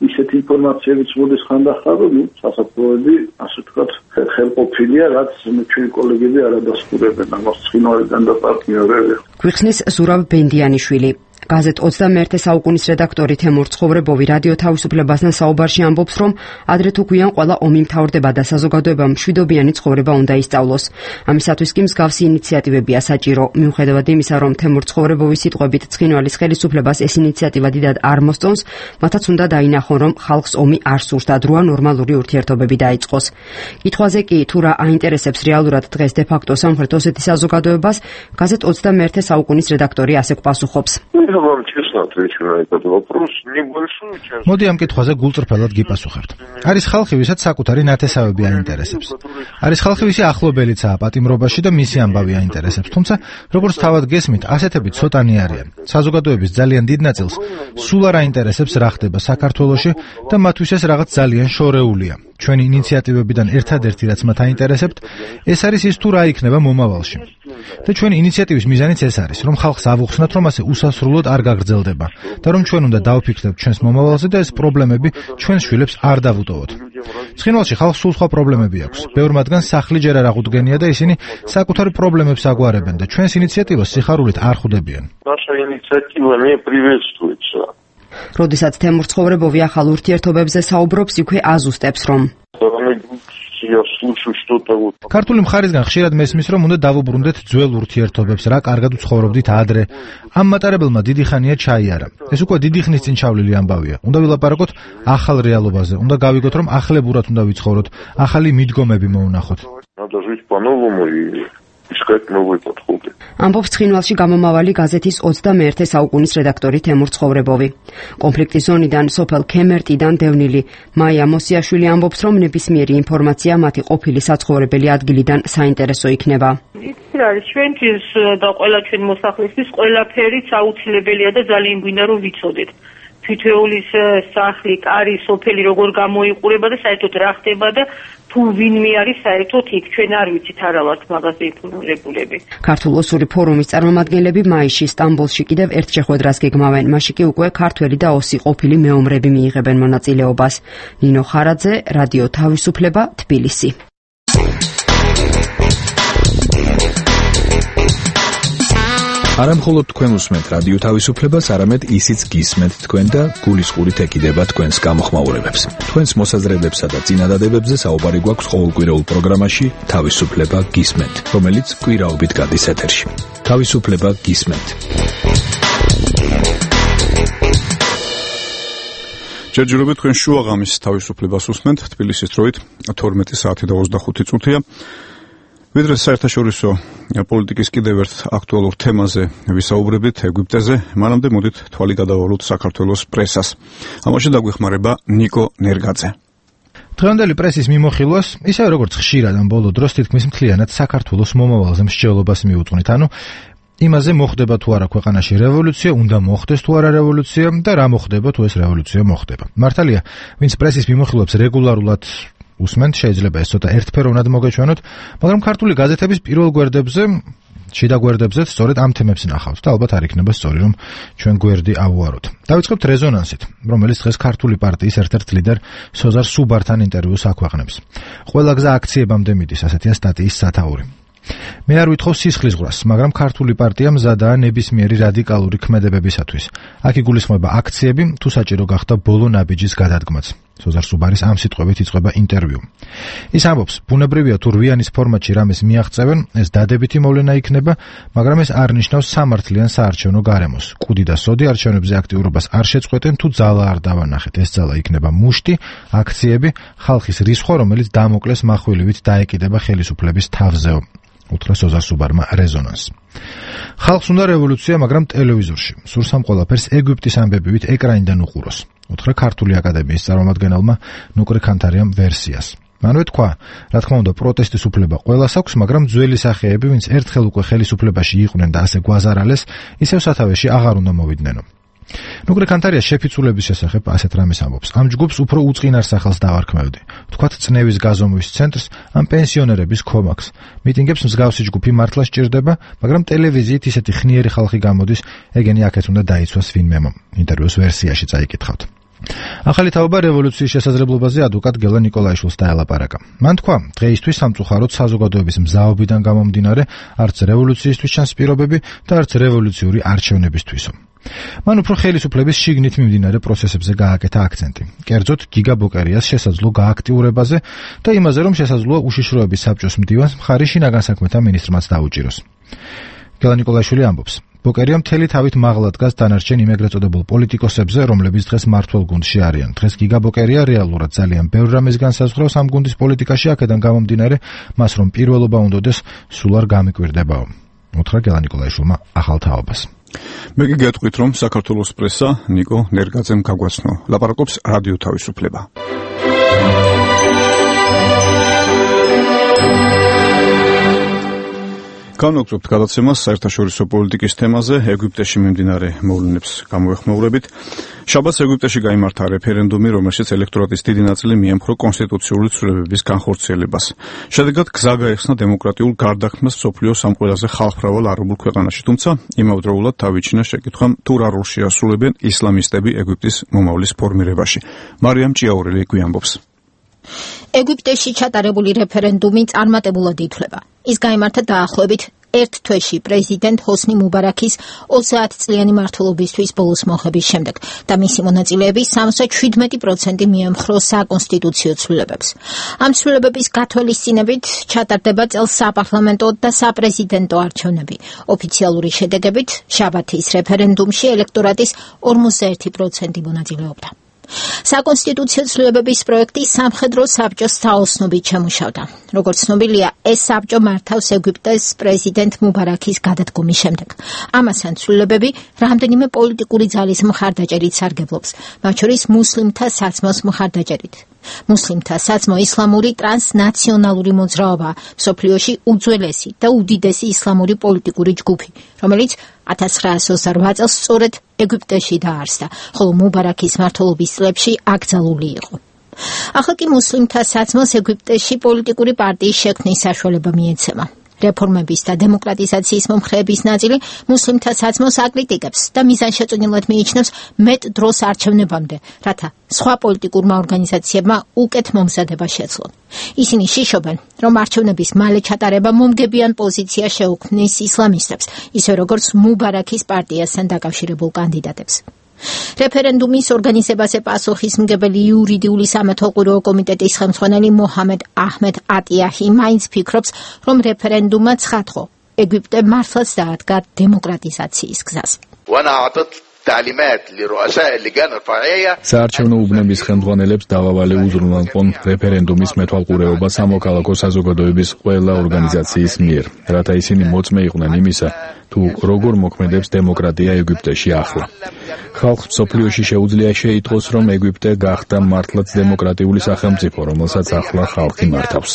ისეთი ინფორმაციებიც მოდის ხანდახან, რომ სასაფლაოები, ასე ვთქვათ, ხელყოფილია, რაც ჩვენი კოლეგები არ ადასტურებენ ამას ცხინვალიდან და პარტნიორები. გვიხსნის ზურაბ ბენდიანიშვილი. გაზეთ 21 საუკუნის რედაქტორი თემურ ცხოვრებოვი რადიო თავისუფლებასთან საუბარში ამბობს, რომ ადრე თუ გვიან ყველა ომი მთავრდება და საზოგადოებამ მშვიდობიანი ცხოვრება უნდა ისწავლოს. ამისათვის კი მსგავსი ინიციატივებია საჭირო. მიუხედავად იმისა, რომ თემურ ცხოვრებოვის სიტყვებით ცხინვალის ხელისუფლებას ეს ინიციატივა დიდად არ მოსწონს, მათაც უნდა დაინახონ, რომ ხალხს ომი არ სურს და დროა ნორმალური ურთიერთობები დაიწყოს. კითხვაზე კი თუ რა აინტერესებს რეალურად დღეს დე-ფაქტო სამხრეთ ოსეთის საზოგადოებას, გაზეთ 21 საუკუნის რედაქტორი ასე გვპასუხობს. მოდი ამ კითხვაზე გულწრფელად გიპასუხებთ. არის ხალხი, ვისაც საკუთარი ნათესავები აინტერესებს. არის ხალხი, ვისი ახლობელიცაა პატიმრობაში და მისი ამბავი აინტერესებს. თუმცა, როგორც თავად გესმით, ასეთები ცოტანი არიან. საზოგადოების ძალიან დიდ ნაწილს სულ არ აინტერესებს რა ხდება საქართველოში და მათთვის ეს რაღაც ძალიან შორეულია. ჩვენი ინიციატივებიდან ერთადერთი რაც მათ აინტერესებთ, ეს არის ის თუ რა იქნება მომავალში. და ჩვენი ინიციატივის მიზანიც ეს არის, რომ ხალხს ავუხსნათ, რომ ასე უსასრულოდ არ გაგრძელდება და რომ ჩვენ უნდა დავფიქრდეთ ჩვენს მომავალზე და ეს პრობლემები ჩვენს შვილებს არ დავუტოვოთ. ცხინვალში ხალხს სულ სხვა პრობლემები აქვს. ბევრ მათგანს სახლი ჯერ არ აღუდგენია და ისინი საკუთარ პრობლემებს აგვარებენ და ჩვენს ინიციატივას სიხარულით არ ხვდებიან. როდესაც თემურ ცხოვრებოვი ახალ ურთიერთობებზე საუბრობს, იქვე აზუსტებს, რომ ქართული მხარისგან ხშირად მესმის, რომ უნდა დავუბრუნდეთ ძველ ურთიერთობებს, რა კარგად ვცხოვრობდით ადრე. ამ მატარებელმა დიდი ხანია ჩაიარა. ეს უკვე დიდი ხნის წინ ჩავლილი ამბავია. უნდა ვილაპარაკოთ ახალ რეალობაზე. უნდა გავიგოთ, რომ ახლებურად უნდა ვიცხოვროთ, ახალი მიდგომები მოუნახოთ. ისეთ მოგვიკითხულდი. ამბობს ცხინვალში გამომავალი გაზეთის 21 საუკუნის რედაქტორი თემურ ცხოვრებოვი. კონფლიქტის ზონიდან სოფელ ქემერტიდან დევნილი მაია მოსიაშვილი ამბობს, რომ ნებისმიერი ინფორმაცია მათი ყოფილი საცხოვრებელი ადგილიდან საინტერესო იქნება. იცი რა არის ჩვენთვის და ყველა ჩვენ მოსახლისთვის ყველაფერიც აუცილებელია და ძალიან გვინდა რომ ვიცოდეთ. თითოეულის სახლი, კარი, სოფელი როგორ გამოიყურება და საერთოდ რა ხდება და თუ ვინმე არის საერთოდ იქ ჩვენ არ ვიცით არა ვართ მაგაზე ინფორმირებულები. ქართულ ოსური ფორუმის წარმომადგენლები მაისში სტამბოლში კიდევ ერთ შეხვედრას გეგმავენ. მაშინ კი უკვე ქართველი და ოსი ყოფილი მეომრები მიიღებენ მონაწილეობას. ნინო ხარაძე, რადიო თავისუფლება, თბილისი. არა მხოლოდ თქვენ უსმენთ რადიო თავისუფლებას, არამედ ისიც გისმენთ თქვენ და გულისყურით ეკიდება თქვენს გამოხმაურებებს. თქვენს მოსაზრებებსა და წინადადებებზე საუბარი გვაქვს ყოველკვირეულ პროგრამაში თავისუფლება გისმენთ, რომელიც კვირაობით გადის ეთერში. თავისუფლება გისმენთ. ჯერჯერობით თქვენ შუაღამის თავისუფლებას უსმენთ, თბილისის დროით 12 საათი და 25 წუთია. ვიდრე საერთაშორისო პოლიტიკის კიდევ ერთ აქტუალურ თემაზე ვისაუბრებით ეგვიპტეზე, მანამდე მოდით თვალი გადავალოთ საქართველოს პრესას. ამაში დაგვეხმარება ნიკო ნერგაძე. დღევანდელი პრესის მიმოხილვას, ისე როგორც ხშირად ამ ბოლო დროს თითქმის მთლიანად საქართველოს მომავალზე მსჯელობას მიუძღვნით, ანუ იმაზე მოხდება თუ არა ქვეყანაში რევოლუცია, უნდა მოხდეს თუ არა რევოლუცია და რა მოხდება თუ ეს რევოლუცია მოხდება. მართალია, ვინც პრესის მიმოხილვებს რეგულარულად უსმენთ, შეიძლება ეს ცოტა ერთფეროვნად მოგეჩვენოთ, მაგრამ ქართული გაზეთების პირველ გვერდებზე, შიდა გვერდებზეც სწორედ ამ თემებს ნახავთ და ალბათ არ იქნება სწორი, რომ ჩვენ გვერდი ავუაროთ. დავიწყებთ რეზონანსით, რომელიც დღეს ქართული პარტიის ერთ-ერთ ლიდერ სოზარ სუბართან ინტერვიუს აქვეყნებს. ყველა გზა აქციებამდე მიდის, ასეთია სტატიის სათაური. მე არ ვითხოვ სისხლისღვრას, მაგრამ ქართული პარტია მზადაა ნებისმიერი რადიკალური ქმედებებისათვის. აქ იგულისხმება აქციები, თუ საჭირო გახდა ბოლო ნაბიჯის გადადგმაც. სოზარ სუბარის ამ სიტყვებით იწყება ინტერვიუ. ის ამბობს, ბუნებრივია თუ რვიანის ფორმატში რამეს მიაღწევენ, ეს დადებითი მოვლენა იქნება, მაგრამ ეს არ ნიშნავს სამართლიან საარჩევნო გარემოს. კუდი და სოდი არჩევნებზე აქტიურობას არ შეწყვეტენ, თუ ძალა არ დავანახეთ. ეს ძალა იქნება მუშტი, აქციები, ხალხის რისხვა, რომელიც დამოკლეს מחვილივით დაეკიდება ხელისუფლების თავზეო. უთხრა სოზარ სუბარმა რეზონანს. ხალხს უნდა რევოლუცია, მაგრამ ტელევიზორში. სურს ამ ყველაფერს ეგვიპტის ამბებივით ეკრანიდან უყუროს. უთხრა ქართული აკადემიის წარმომადგენელმა ნუკრი ქანთარიამ ვერსიას. მანვე თქვა, რა თქმა უნდა, პროტესტის უფლება ყველას აქვს, მაგრამ ძველი სახეები, ვინც ერთხელ უკვე ხელისუფლებაში იყვნენ და ასე გვაზარალეს, ისევ სათავეში აღარ უნდა მოვიდნენ. ნუკრი ქანთარია შეფიცულების შესახებ ასეთ რამეს ამბობს. ამ ჯგუფს უფრო უწყინარ სახელს დავარქმევდი. თქვათ წნევის გაზომვის ცენტრს, ამ პენსიონერების კომაქს. მიტინგებს მსგავსი ჯგუფი მართლა სჭირდება, მაგრამ ტელევიზიით ისეთი ხნიერი ხალხი გამოდის, ეგენი აქეთ უნდა დაიცვას ვინმემ. ინტერვიუს ვერსიაში წაიკითხავთ. ახალი თაობა რევოლუციის შესაძლებლობაზე ადვოკატ გელა ნიკოლაიშვილს დაელაპარაკა. მან თქვა, დღეისთვის სამწუხაროდ საზოგადოების მზაობიდან გამომდინარე, არც რევოლუციისთვის ჩანს პირობები და არც რევოლუციური არჩევნებისთვისო. მან უფრო ხელისუფლების შიგნით მიმდინარე პროცესებზე გააკეთა აქცენტი. კერძოდ, გიგა ბოკერიას შესაძლო გააქტიურებაზე და იმაზე, რომ შესაძლოა უშიშროების საბჭოს მდივანს მხარი შინაგან საქმეთა მინისტრმაც დაუჭიროს. გელა ნიკოლაიშვილი ამბობს, ბოკერია მთელი თავით მაღლა დგას დანარჩენ იმ ეგრეთ წოდებულ პოლიტიკოსებზე, რომლებიც დღეს მმართველ გუნდში არიან. დღეს გიგა ბოკერია რეალურად ძალიან ბევრ რამეს განსაზღვრავს ამ გუნდის პოლიტიკაში, აქედან გამომდინარე, მას რომ პირველობა უნდოდეს, სულ არ გამიკვირდებაო. უთხრა გელა ნიკოლაიშვილმა ახალ თაობას. მე კი გეტყვით, რომ საქართველოს პრესა ნიკო ნერგაძემ გაგვაცნო. ლაპარაკობს რადიო თავისუფლება. განვაგრძობთ გადაცემას საერთაშორისო პოლიტიკის თემაზე, ეგვიპტეში მიმდინარე მოვლენებს გამოეხმაურებით. შაბათს ეგვიპტეში გაიმართა რეფერენდუმი, რომელშიც ელექტორატის დიდი ნაწილი მიემხრო კონსტიტუციური ცვლილებების განხორციელებას. შედეგად გზა გაეხსნა დემოკრატიულ გარდაქმნას მსოფლიოს ამ ყველაზე ხალხმრავალ არაბულ ქვეყანაში, თუმცა იმავდროულად თავიჩინა შეკითხვამ, თუ რა როლს შეასრულებენ ისლამისტები ეგვიპტის მომავლის ფორმირებაში. მარიამ ჭიაურელი გვიამბობს. ეგვიპტეში ჩატარებული რეფერენდუმი წარმატებულად ითვლება. ის გაიმართა დაახლოებით ერთ თვეში პრეზიდენტ ჰოსნი მუბარაქის 30 წლიანი მმართველობისთვის ბოლოს მოხების შემდეგ და მისი მონაწილეები 77% მიემხრო საკონსტიტუციო ცვლილებებს. ამ ცვლილებების გათვალისწინებით ჩატარდება წელს საპარლამენტო და საპრეზიდენტო არჩევნები. ოფიციალური შედეგებით შაბათის რეფერენდუმში ელექტორატის 41% მონაწილეობდა. საკონსტიტუციო ცვლილებების პროექტი სამხედრო საბჭოს თაოსნობით შემუშავდა. როგორც ცნობილია, ეს საბჭო მართავს ეგვიპტეს პრეზიდენტ მუბარაქის გადადგომის შემდეგ. ამასთან ცვლილებები რამდენიმე პოლიტიკური ძალის მხარდაჭერით სარგებლობს, მათ შორის მუსლიმთა საცმოს მხარდაჭერით. მუსლიმთა საცმო ისლამური ტრანსნაციონალური მოძრაობა, მსოფლიოში უძველესი და უდიდესი ისლამური პოლიტიკური ჯგუფი, რომელიც 1928 წელს სწორედ ეგვიპტეში დაარსდა, ხოლო მუბარაქის მმართველობის წლებში აკრძალული იყო. ახლა კი მუსლიმთა საცმოს ეგვიპტეში პოლიტიკური პარტიის შექმნის საშუალება მიეცემა. რეფორმების და დემოკრატიზაციის მომხრეების ნაწილი მუსლიმთა საცმოს აკრიტიკებს და მიზანშეწონილად მიიჩნევს მეტ დროს არჩევნებამდე, რათა სხვა პოლიტიკურმა ორგანიზაციებმა უკეთ მომზადება შეძლონ. ისინი შიშობენ, რომ არჩევნების მალე ჩატარება მომგებიან პოზიცია შეუქმნის ისლამისტებს, ისე როგორც მუბარაქის პარტიასთან დაკავშირებულ კანდიდატებს. რეფერენდუმის ორგანიზებაზე პასუხისმგებელი იურიდიული სამეთვალყურეო კომიტეტის ხელმძღვანელი მოჰამედ აჰმედ ატიაჰი მაინც ფიქრობს, რომ რეფერენდუმმა ცხადყო ეგვიპტე მართლაც დაადგა დემოკრატიზაციის გზას. საარჩევნო უბნების ხელმძღვანელებს დავავალი უზრუნველყონ რეფერენდუმის მეთვალყურეობა სამოქალაქო საზოგადოების ყველა ორგანიზაციის მიერ, რათა ისინი მოწმე იყვნენ იმისა, თუ როგორ მოქმედებს დემოკრატია ეგვიპტეში ახლა. ხალხს მსოფლიოში შეუძლია შეიტყოს, რომ ეგვიპტე გახდა მართლაც დემოკრატიული სახელმწიფო, რომელსაც ახლა ხალხი მართავს.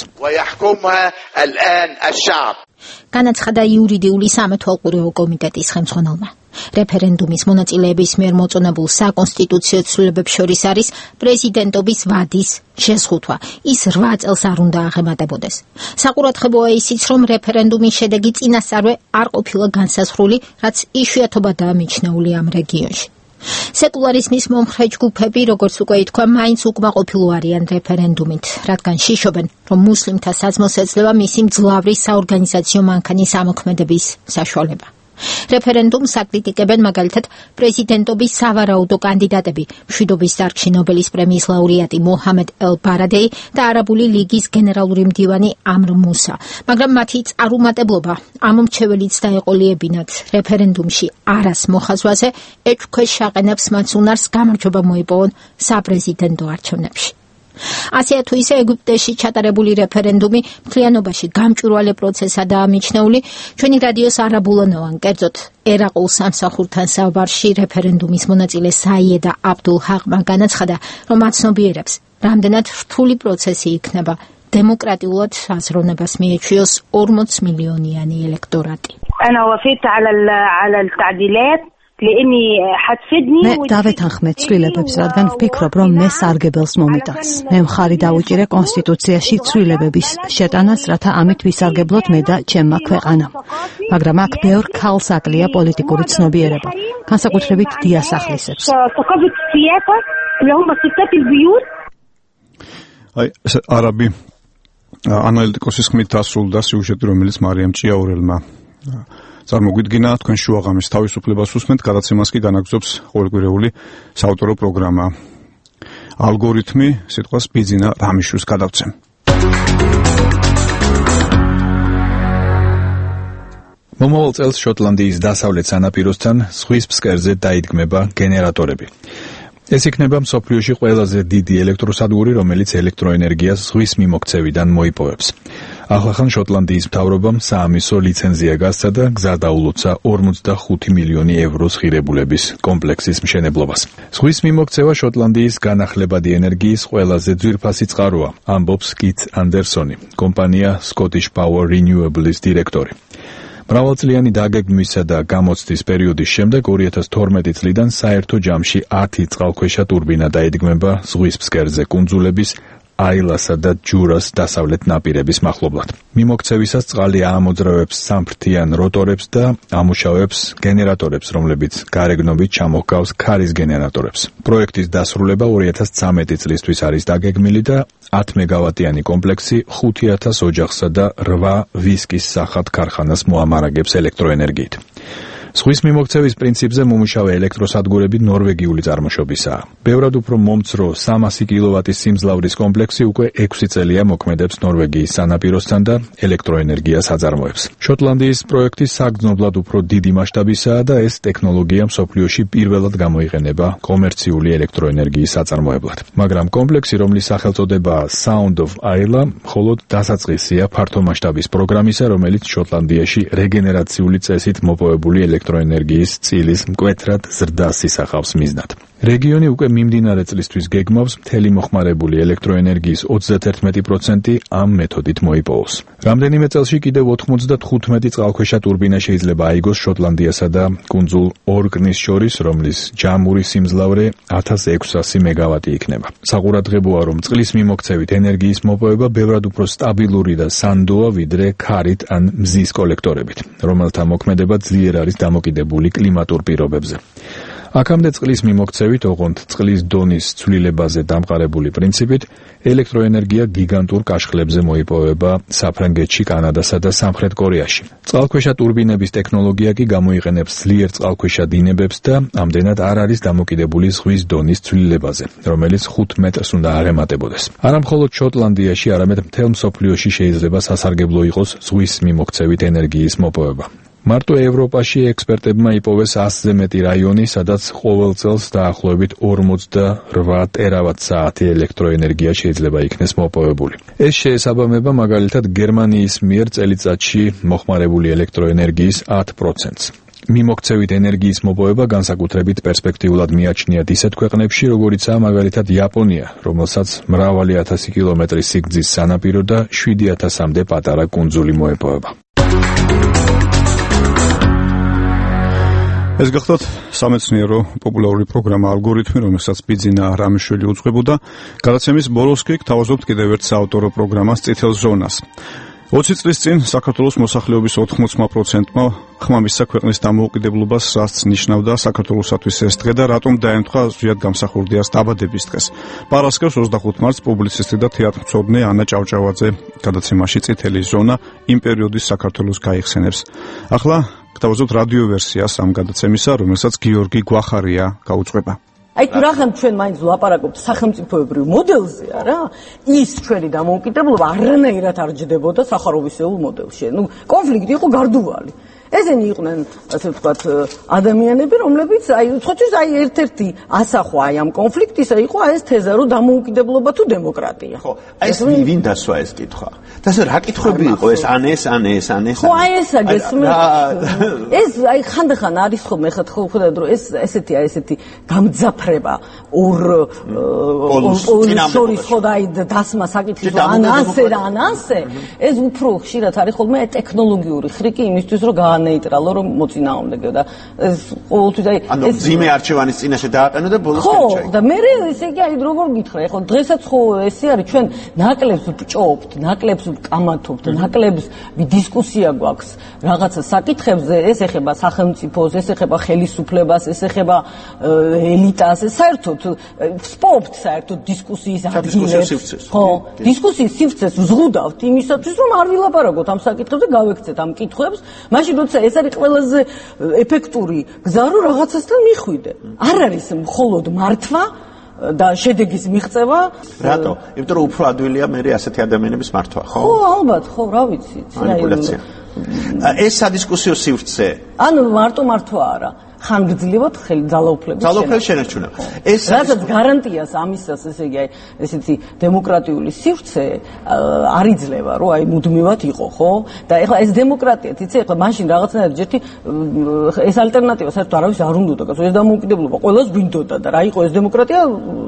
განაცხადა იურიდიული სამეთვალყურეო კომიტეტის ხელმძღვანელმა. რეფერენდუმის მონაწილეების მიერ მოწონებულ საკონსტიტუციო ცვლილებებს შორის არის პრეზიდენტობის ვადის შეზღუდვა. ის 8 წელს არ უნდა აღემატებოდეს. საყურადღებოა ისიც, რომ რეფერენდუმის შედეგი წინასწარვე არ ყოფილა განსაზღვრული, რაც იშვიათობადაა მიჩნეული ამ რეგიონში. სეკულარიზმის მომხრე ჯგუფები, როგორც უკვე ითქვა, მაინც უკმაყოფილო არიან რეფერენდუმით, რადგან შიშობენ, რომ მუსლიმთა საცმოს ეძლევა მისი მძლავრი საორგანიზაციო მანქანის ამოქმედების საშუალება. რეფერენდუმს აკრიტიკებენ მაგალითად პრეზიდენტობის სავარაუდო კანდიდატები, მშვიდობის დარგში ნობელის პრემიის ლაურეატი მოჰამედ ელ-ბარადეი და არაბული ლიგის გენერალური მდივანი ამრ მუსა, მაგრამ მათი წარუმატებლობა ამ მრჩეველიც დაეყოლიებინათ რეფერენდუმში არას მოხაზვაზე ეჭქვეშ შეაყენებს მათ უნარს გამარჯვება მოიპოვონ საპრეზიდენტო არჩევნებში. ასეა თუ ისე ეგვიპტეში ჩატარებული რეფერენდუმი მთლიანობაში გამჭვირვალე პროცესადაა მიჩნეული. ჩვენი რადიოს არაბულენოვან, კერძოდ ერაყულ სამსახურთან საუბარში რეფერენდუმის მონაწილე საიედა აბდულ ჰაყმა განაცხადა, რომ აცნობიერებს, რამდენად რთული პროცესი იქნება დემოკრატიულად აზროვნებას მიეჩვიოს 40 მილიონიანი ელექტორატი. მე დავეთანხმე ცვლილებებს, რადგან ვფიქრობ, რომ მე სარგებელს მომიტანს. მე მხარი დავუჭირე კონსტიტუციაში ცვლილებების შეტანას, რათა ამით ვისარგებლოთ მე და ჩემმა ქვეყანამ. მაგრამ აქ ბევრ ქალს აკლია პოლიტიკური ცნობიერება, განსაკუთრებით დიასახლისებს. არაბი ანალიტიკოსის ხმით დასრულდა სიუჟეტი, რომელიც მარიამ ჭიაურელმა წარმოგვიდგინა. თქვენ შუაღამის თავისუფლებას უსმენთ, გადაცემას კი განაგრძობს ყოველკვირეული საავტორო პროგრამა. ალგორითმი სიტყვას ბიძინა რამიშვილს გადავცემ. მომავალ წელს შოტლანდიის დასავლეთ სანაპიროსთან ზღვის ფსკერზე დაიდგმება გენერატორები. ეს იქნება მსოფლიოში ყველაზე დიდი ელექტროსადგური, რომელიც ელექტროენერგიას ზღვის მიმოქცევიდან მოიპოვებს. ახლახან შოტლანდიის მთავრობამ საამისო ლიცენზია გასცა და გზა დაულოცა 45 მილიონი ევროს ღირებულების კომპლექსის მშენებლობას. ზღვის მიმოქცევა შოტლანდიის განახლებადი ენერგიის ყველაზე ძვირფასი წყაროა, ამბობს კით ანდერსონი, კომპანია Scottish Power Renewables დირექტორი. მრავალწლიანი დაგეგმვისა და გამოცდის პერიოდის შემდეგ 2012 წლიდან საერთო ჯამში 10 წყალქვეშა ტურბინა დაიდგმება ზღვის ფსკერზე კუნძულების აილასა და ჯურას დასავლეთ ნაპირების მახლობლად. მიმოქცევისას წყალი აამოძრავებს სამფრთიან როტორებს და ამუშავებს გენერატორებს, რომლებიც გარეგნობით ჩამოჰგავს ქარის გენერატორებს. პროექტის დასრულება 2013 წლისთვის არის დაგეგმილი და 10 მეგავატიანი კომპლექსი 5000 ოჯახსა და 8 ვისკის სახათ ქარხანას მოამარაგებს ელექტროენერგიით. ზღვის მიმოქცევის პრინციპზე მომუშავე ელექტროსადგურები ნორვეგიული წარმოშობისაა. ბევრად უფრო მომცრო 300 კილოვატის სიმძლავრის კომპლექსი უკვე 6 წელია მოქმედებს ნორვეგიის სანაპიროსთან და ელექტროენერგიას აწარმოებს. შოტლანდიის პროექტი საგრძნობლად უფრო დიდი მასშტაბისაა და ეს ტექნოლოგია მსოფლიოში პირველად გამოიყენება კომერციული ელექტროენერგიის აწარმოებლად. მაგრამ კომპლექსი, რომლის სახელწოდებაა Sound of Isla, მხოლოდ დასაწყისია ფართო მასშტაბის პროგრამისა, რომელიც შოტლანდიაში რეგენერაციული წესით მოპოვებული ელექტროენერგიის წილის მკვეთრად ზრდას ისახავს მიზნად. რეგიონი უკვე მიმდინარე წლისთვის გეგმავს მთელი მოხმარებული ელექტროენერგიის 31% ამ მეთოდით მოიპოვოს. რამდენიმე წელში კიდევ 95 წყალქვეშა ტურბინა შეიძლება აიგოს შოტლანდიასა და კუნძულ ორკნის შორის, რომლის ჯამური სიმძლავრე 1600 მეგავატი იქნება. საყურადღებოა, რომ წყლის მიმოქცევით ენერგიის მოპოვება ბევრად უფრო სტაბილური და სანდოა, ვიდრე ქარით ან მზის კოლექტორებით, რომელთა მოქმედება ძლიერ არის დამოკიდებული კლიმატურ პირობებზე. აქამდე წყლის მიმოქცევით, ოღონდ წყლის დონის ცვლილებაზე დამყარებული პრინციპით, ელექტროენერგია გიგანტურ კაშხლებზე მოიპოვება საფრანგეთში, კანადასა და სამხრეთ კორეაში. წყალქვეშა ტურბინების ტექნოლოგია კი გამოიყენებს ძლიერ წყალქვეშა დინებებს და ამდენად არ არის დამოკიდებული ზღვის დონის ცვლილებაზე, რომელიც 5 მეტრს უნდა აღემატებოდეს. არა მხოლოდ შოტლანდიაში, არამედ მთელ მსოფლიოში შეიძლება სასარგებლო იყოს ზღვის მიმოქცევით ენერგიის მოპოვება. მარტო ევროპაში ექსპერტებმა იპოვეს 100-ზე მეტი რაიონი, სადაც ყოველ წელს დაახლოებით 48 ტერავატ-საათი ელექტროენერგია შეიძლება იქნეს მოპოვებული. ეს შეესაბამება მაგალითად გერმანიის მიერ წელიწადში მოხმარებული ელექტროენერგიის 10%-ს. მიმოქცევით ენერგიის მოპოვება განსაკუთრებით პერსპექტიულად მიაჩნიათ ისეთ ქვეყნებში, როგორიცაა მაგალითად იაპონია, რომელსაც მრავალი 1000 კილომეტრის სიგრძის სანაპირო და 7000-მდე პატარა კუნძული მოეპოვება. ეს გახლავთ სამეცნიერო პოპულარული პროგრამა ალგორითმი, რომელსაც ბიძინა რამიშვილი უძღვებოდა. გადაცემის ბოლოს კი გთავაზობთ კიდევ ერთ საავტორო პროგრამას წითელ ზონას. 20 წლის წინ საქართველოს მოსახლეობის 80%-მა ხმამისცა ქვეყნის დამოუკიდებლობას რაც ნიშნავდა საქართველოსათვის ეს დღე და რატომ დაემთხვა ზვიად გამსახურდიას დაბადების დღეს. პარასკევს 25 მარტს პუბლიცისტი და თეატრმცოდნე ანა ჭავჭავაძე გადაცემაში წითელი ზონა იმ პერიოდის საქართველოს გაიხსენებს. ახლა გთავაზობთ რადიო ვერსიას ამ გადაცემისა, რომელსაც გიორგი გვახარია გაუძღვება. აი თუ რახან ჩვენ მაინც ვლაპარაკობთ სახელმწიფოებრივ მოდელზე, არა? ის ჩვენი დამოუკიდებლობა არანაირად არ ჯდებოდა სახაროვისეულ მოდელში. ნუ კონფლიქტი იყო გარდუვალი. ესენი იყვნენ, ასე ვთქვათ, ადამიანები, რომლებიც აი უცხოეთის აი ერთ-ერთი ასახვა აი ამ კონფლიქტისა იყო ეს თეზა, რომ დამოუკიდებლობა თუ დემოკრატია. ხო, ეს ვინ დასვა ეს კითხვა? დასა რა კითხვები იყო ეს ან ეს. ხო, აი ესა გესმის. ეს აი ხანდახან არის ხოლმე ხედავთ რომ ეს ესეთი გამძაფრება ორ შორის ხო და აი დასმა საკითხის ან ასე და ან ასე ეს უფრო ხშირად არის ხოლმე ტექნოლოგიური ხრიკი იმისთვის რომ ნეიტრალო რომ მოწინააღმდეგე და ეს ყოველთვის აი ეს ძიმე არჩევანის წინაშე დააყენო და ბოლოს ხო და მე ესე იგი აი როგორ გითხრა ხო დღესაც ხო ესე არის ჩვენ ნაკლებს ვჭობთ ნაკლებს ვკამათობთ ნაკლებს დისკუსია გვაქვს რაღაცა საკითხებზე ეს ეხება სახელმწიფოს ეს ეხება ხელისუფლებას ეს ეხება ელიტას ეს საერთოდ ვსპობთ საერთოდ დისკუსიის ადგილებს ხო დისკუსიის სივრცეს ვზღუდავთ იმისათვის რომ არ ვილაპარაკოთ ამ საკითხებზე გავექცეთ ამ კითხვებს მაშინ ეს არის ყველაზე ეფექტური გზა რომ რაღაცასთან მიხვიდე. არ არის მხოლოდ მართვა და შედეგის მიღწევა. რატო? იმიტომ რომ უფრო ადვილია მე ასეთი ადამიანების მართვა, ხო? ხო, ალბათ, ხო, რა ვიცი. მანიპულაცია. ეს სადისკუსიო სივრცე. ანუ მარტო მართვა არა. ხანგრძლივად ძალაუფლების შენარჩუნება. ეს რასაც გარანტიას ამისას ესე იგი ესეთი დემოკრატიული სივრცე არ იძლევა რომ აი მუდმივად იყო ხო და ეხლა ეს დემოკრატია თიცი ეხლა მაშინ რაღაცნაირად ერთი ეს ალტერნატივა საერთოდ არავის არ უნდოდა ეს დამოუკიდებლობა ყველას გვინდოდა და რა იყო ეს დემოკრატია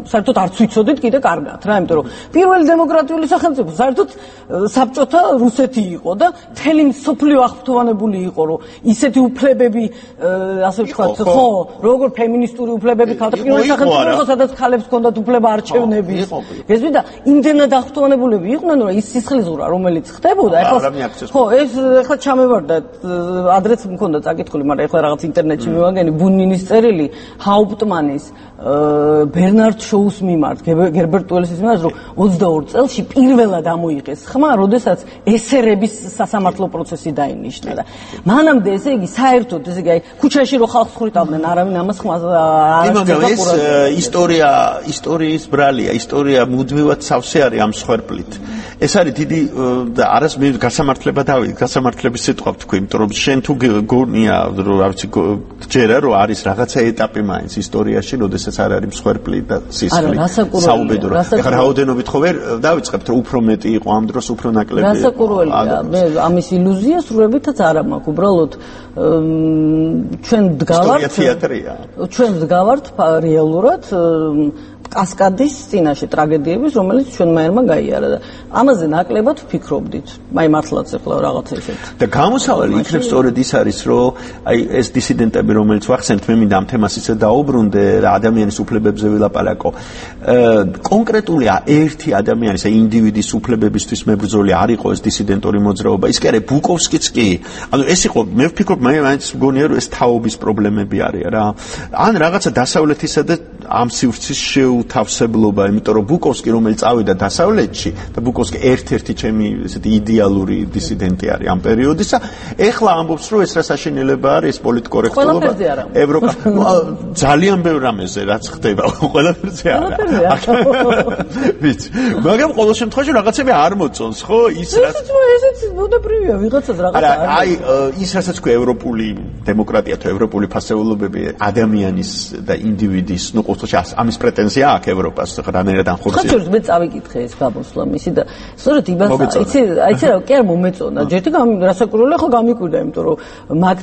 საერთოდ არც ვიცოდით კიდე კარგად რა იმიტომ რომ პირველი დემოკრატიული სახელმწიფო საერთოდ საბჭოთა რუსეთი იყო და მთელი მსოფლიო აღფრთოვანებული იყო რომ ისეთი უფლებები ასე ვთქვა ვთქვათ, ხო, როგორ ფემინისტური უფლებები ქალთა პირველ სახელმწიფოში, სადაც ქალებს ჰქონდათ უფლება არჩევნების. გესმით და იმდენად აღტოვანებულები იყვნენ, რომ ის სისხლისღვრა, რომელიც ხდებოდა, ხო, ეს ახლა ჩამევარდა, ადრეც მქონდა წაკითხული, მაგრამ ახლა რაღაც ინტერნეტში მივაგენი ბუნინის წერილი ჰაუპტმანის ბერნარდ შოუს მიმართ, გერბერტ უელსის მიმართ, რომ 22 წელში პირველად ამოიღეს ხმა, როდესაც ესერების სასამართლო პროცესი დაინიშნა და მანამდე ესე იგი საერთოდ ესე იგი ქუჩაში რო ხალხს ხვრიტავდნენ, არავინ ამას ხმას არ ეს ისტორიის ბრალია, ისტორია მუდმივად სავსე არის ამ სხერპლით. ეს არის დიდი და არას მე გასამართლება დავიდ, გასამართლების სიტყვა ვთქვი, იმიტომ რომ შენ თუ გონია, რომ რა ვიცი, ჯერა რომ არის რაღაცა ეტაპი მაინც ისტორიაში, როდესაც არ არის მსხვერპლი და სისხლი საუბედური. ეხლა რაოდენობით ხო ვერ დავიწყებთ, რომ უფრო მეტი იყო ამ დროს, უფრო ნაკლები. რასაკურველია, მე ამის ილუზია სრულებითაც არ მაქვს, უბრალოდ ჩვენ დგავართ თეატრია. ჩვენ დგავართ რეალურად კასკადის წინაშე ტრაგედიების, რომელიც ჩვენ მაერმა გაიარა და ამაზე ნაკლებად ვფიქრობდით. აი მართლაც ახლა რაღაცა ისეთ. და გამოსავალი იქნებ სწორედ ის არის, რომ აი ეს დისიდენტები, რომელიც ვახსენეთ, მე მინდა ამ თემას ისე დაუბრუნდე და ადამიანის უფლებებზე ვილაპარაკო. კონკრეტული ერთი ადამიანის, აი ინდივიდის უფლებებისთვის მებრძოლი არ იყო ეს დისიდენტური მოძრაობა. ის კი არა ბუკოვსკიც კი. ანუ ეს იყო, მე ვფიქრობ, მაინც მგონია, რომ ეს თაობის პრობლემები არის რა. ან რაღაცა დასავლეთისა და ამ სივრცის შეუთავსებლობა, იმიტომ რომ ბუკოვსკი რომელიც წავიდა დასავლეთში და ბუკოვსკი ერთ-ერთი ჩემი ესეთი იდეალური დისიდენტი არის ამ პერიოდისა, ეხლა ამბობს რომ ეს რა საშინელება არის, ეს პოლიტკორექტულობა ევროპა ძალიან ბევრ რამეზე რაც ხდება, ყველაფერზე არა. ვიცი, მაგრამ ყოველ შემთხვევაში რაღაცები არ მოწონს, ხო? ის რაც ესეც ბუნებრივია, ვიღაცას რაღაცა არ. აი, ის რასაც ქვია ევროპული დემოკრატია თუ ევროპული ფასეულობები ადამიანის და ინდივიდის, ნუ ყოველთვის ამის პრეტენზია აქვს ევროპას, რანაირად ანხორციელებს. ხაჭურს მე წავიკითხე ეს გამოსვლა მისი და სწორედ იმას იცი რა, კი არ მომეწონა. ჯერთი რასაკურველია ხო გამიკვირდა, იმიტომ რომ მაგ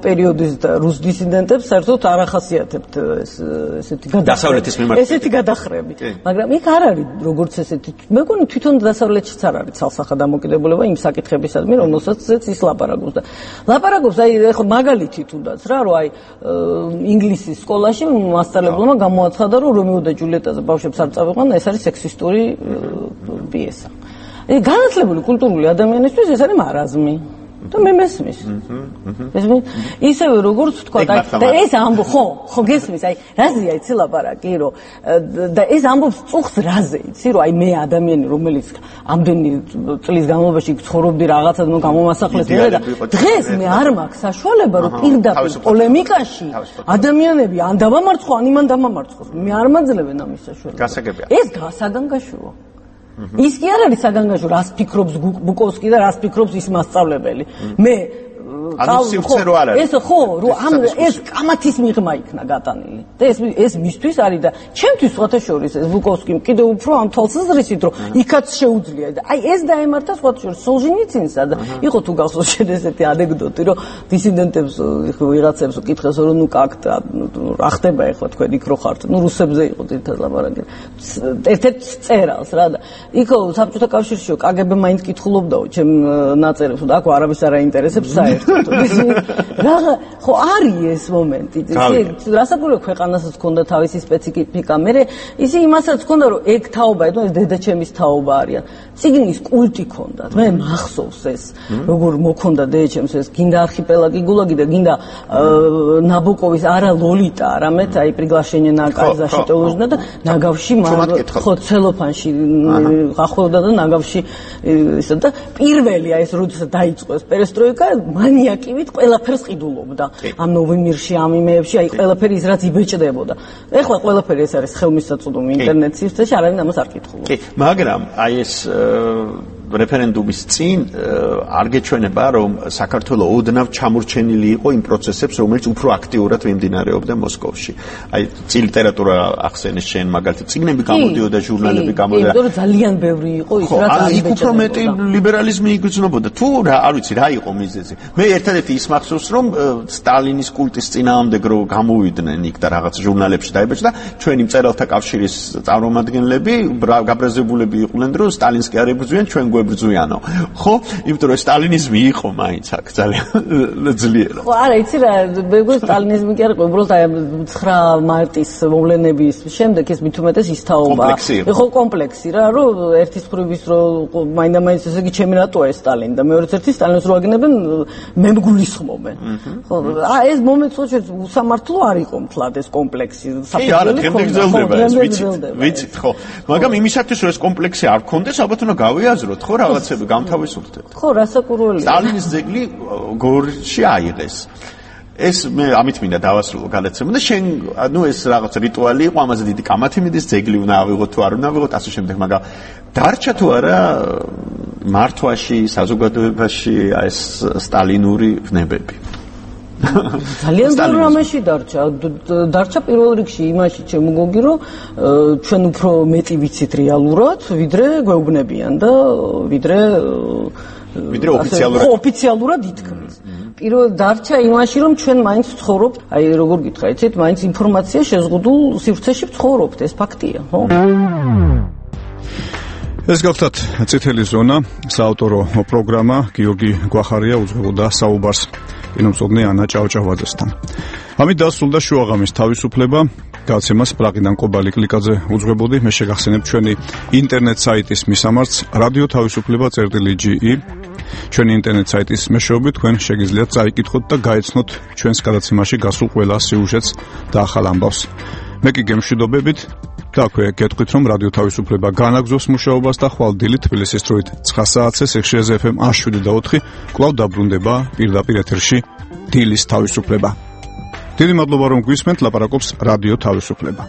პერიოდის რუს დისიდენტებს საერთოდ არ ახასიათებთ ესეთი დასავლეთის მიმართ. ესეთი გადახრები. მაგრამ იქ არ არის როგორც ესეთი. მე მგონი თვითონ დასავლეთშიც არ არის ცალსახა დამოკიდებულება იმ საკითხებისადმი, რომელსაც ის ლაპარაკობს და ლაპარაკობს აი ხო მაგალითი თუნდაც რა, რომ აი ინგლისის სკოლაში მასწავლებელმა გამოაცხადა, რომ რომეო და ჯულიეტაზე ბავშვებს არ წავიყვან, ეს არის სექსისტური პიესა. განათლებული კულტურული ადამიანისთვის ეს არის მარაზმი. და მე მესმის. ისევე როგორც ვთქვა, და ეს ამბო, ხო გესმის, აი რაზეა იცი ლაპარაკი, რომ და ეს ამბობს წუხს რაზე, იცი, რომ აი მე ადამიანი, რომელიც ამდენი წლის განმავლობაში ცხოვრობდი რაღაცად გამომასახლეს მე და დღეს მე არ მაქვს საშუალება, რომ პირდაპირ პოლემიკაში ადამიანები ან დავამარცხო, ან იმან დამამარცხოს. მე არ მაძლევენ ამის საშუალებას. ეს საგანგაშოა. ის კი არ არის საგანგაშო, რას ფიქრობს ბუკოვსკი და რას ფიქრობს ის მასწავლებელი. მე ანუ სიმცე რო არ არის. ეს ხო, რომ ეს კამათის მიღმა იქნა გატანილი. და ეს მისთვის არის და ჩემთვის სხვათა შორის ეს ბუკოვსკი კიდევ უფრო ამ თვალსაზრისით, რომ იქაც შეუძლია და აი ეს დაემართა სხვათა შორის სოლჟენიცინსა და იყო თუ გახსოვს შენ ესეთი ანეკდოტი, რომ დისიდენტებს ვიღაცებს უკითხეს, რომ ნუ კაკ რა ხდება ახლა თქვენ იქ რო ხართ, ნუ რუსებზე იყო თითქოს ლაპარაკი. ერთ-ერთ წერალს რა და იქ საბჭოთა კავშირშიო კგბ მაინც კითხულობდაო ჩემ ნაწერებს და აქ არავის არ აინტერესებს საერთოდ. რაღა ხო არის ეს მომენტი. რასაკურველი ქვეყანასაც ჰქონდა თავისი სპეციფიკა. მე ისე იმასაც ჰქონდა, რომ ეგ თაობა, ეს დედაჩემის თაობა არიან. ციგნის კულტი ჰქონდათ. მე მახსოვს ეს, როგორ მოქონდა დედაჩემს ეს გინდა არქიპელაგი გულაგი და გინდა ნაბოკოვის არა ლოლიტა, არამედ აი პრიგლაშენე на защитовожна და ნაგავში ხო ცელოფანში გახოვდა და ნაგავში ისე და პირველი აი ეს როდესაც დაიწყო ეს პერესტროიკა მანიაკივით ყველაფერს ყიდულობდა. ამ ნოვემბერში, ამ იმეებში, აი ყველაფერი ის რაც იბეჭდებოდა. ეხლა ყველაფერი ეს არის ხელმისაწვდომი ინტერნეტის სივრცეში, არავინ ამას არ კითხულობს. კი, მაგრამ აი ეს რეფერენდუმის წინ არ გეჩვენება, რომ საქართველო ოდნავ ჩამორჩენილი იყო იმ პროცესებს, რომელიც უფრო აქტიურად მიმდინარეობდა მოსკოვში. აი ლიტერატურა ახსენეს შენ მაგალითად, წიგნები გამოდიოდა, ჟურნალები გამოდიოდა. იმიტომ რომ ძალიან ბევრი იყო ის რაც არ იქ უფრო მეტი ლიბერალიზმი იგრძნობოდა. თუ არ ვიცი რა იყო მიზეზი. მე ერთადერთი ის მახსოვს, რომ სტალინის კულტის წინააღმდეგ რო გამოვიდნენ იქ და რაღაც ჟურნალებში დაიბეჭდა, ჩვენი მწერალთა კავშირის წარმომადგენლები გაბრაზებულები იყვნენ, რომ სტალინს კი არ ებრძვიან, ჩვენ გვებრძვიანო. ხო? იმიტომ რომ სტალინიზმი იყო მაინც აქ ძალიან ძლიერო. ხო, არა, იცი რა, მეგონა სტალინიზმი კი არ იყო, უბრალოდ აი 9 მარტის მოვლენების შემდეგ ეს მით უმეტეს ისთაობა. ხო, კომპლექსი რა, რომ ერთის მხრივ რომ მაინდა-მაინც ესე იგი ჩემი რატოა ეს სტალინი და მეორეც ერთი სტალინს რო აგინებენ მე მგულისხმობენ. ხო, ეს მომენტს ხო უსამართლო არ იყო მთლად ეს კომპლექსი. კი, არა, დღემდე გრძელდება ეს, ვიცით, ხო. მაგრამ იმისათვის რომ ეს კომპლექსი არ გქონდეს, ალბათ უნდა გავიაზროთ, ხო, რაღაცები გამთავისუფლდეთ. ხო, რასაკურველია. სტალინის ძეგლი გორში აიღეს. ეს მე ამით მინდა დავასრულო გადაცემა და შენ ანუ ეს რაღაც რიტუალი იყო, ამაზე დიდი კამათი მიდის, ძეგლი უნდა ავიღოთ თუ არ უნდა ავიღოთ, ასე შემდეგ, მაგრამ დარჩა თუ არა მართვაში, საზოგადოებაში ეს სტალინური ვნებები. ძალიან ძლიერ რამეში დარჩა პირველ რიგში იმაში ჩემო გოგი რომ ჩვენ უფრო მეტი ვიცით რეალურად ვიდრე გვეუბნებიან და ვიდრე ოფიციალურად ითქმის. პირველ დარჩა იმაში რომ ჩვენ მაინც ვცხოვრობთ, აი როგორ გითხრა, იცით, მაინც ინფორმაცია შეზღუდულ სივრცეში ვცხოვრობთ, ეს ფაქტია, ხო? ეს გახლავთ წითელი ზონა, საავტორო პროგრამა გიორგი გვახარია უძღვებოდა საუბარს კინომსწავლე ანა ჭავჭავაძესთან. ამით დასრულდა შუაღამის თავისუფლება. გადაცემას პრაღიდან კობალი კლიკაძე უძღვებოდი. მე შეგახსენებ ჩვენი ინტერნეტ საიტის მისამართს radio-თავისუფლება.ge. ჩვენი ინტერნეტ საიტის მეშვეობით თქვენ შეგიძლიათ წაიკითხოთ და გაეცნოთ ჩვენს გადაცემაში გასულ ყველა სიუჟეტს და ახალ ამბავს. მე კი გემშვიდობებით და აქვე გეტყვით რომ რადიო თავისუფლება განაგზობს მუშაობას და ხვალ დილით თბილისის დროით 9 საათზე სიხშირეზე FM 107.4 კვლავ დაბრუნდება პირდაპირ ეთერში დილის თავისუფლება. დიდი მადლობა რომ გვისმენთ, ლაპარაკობს რადიო თავისუფლება.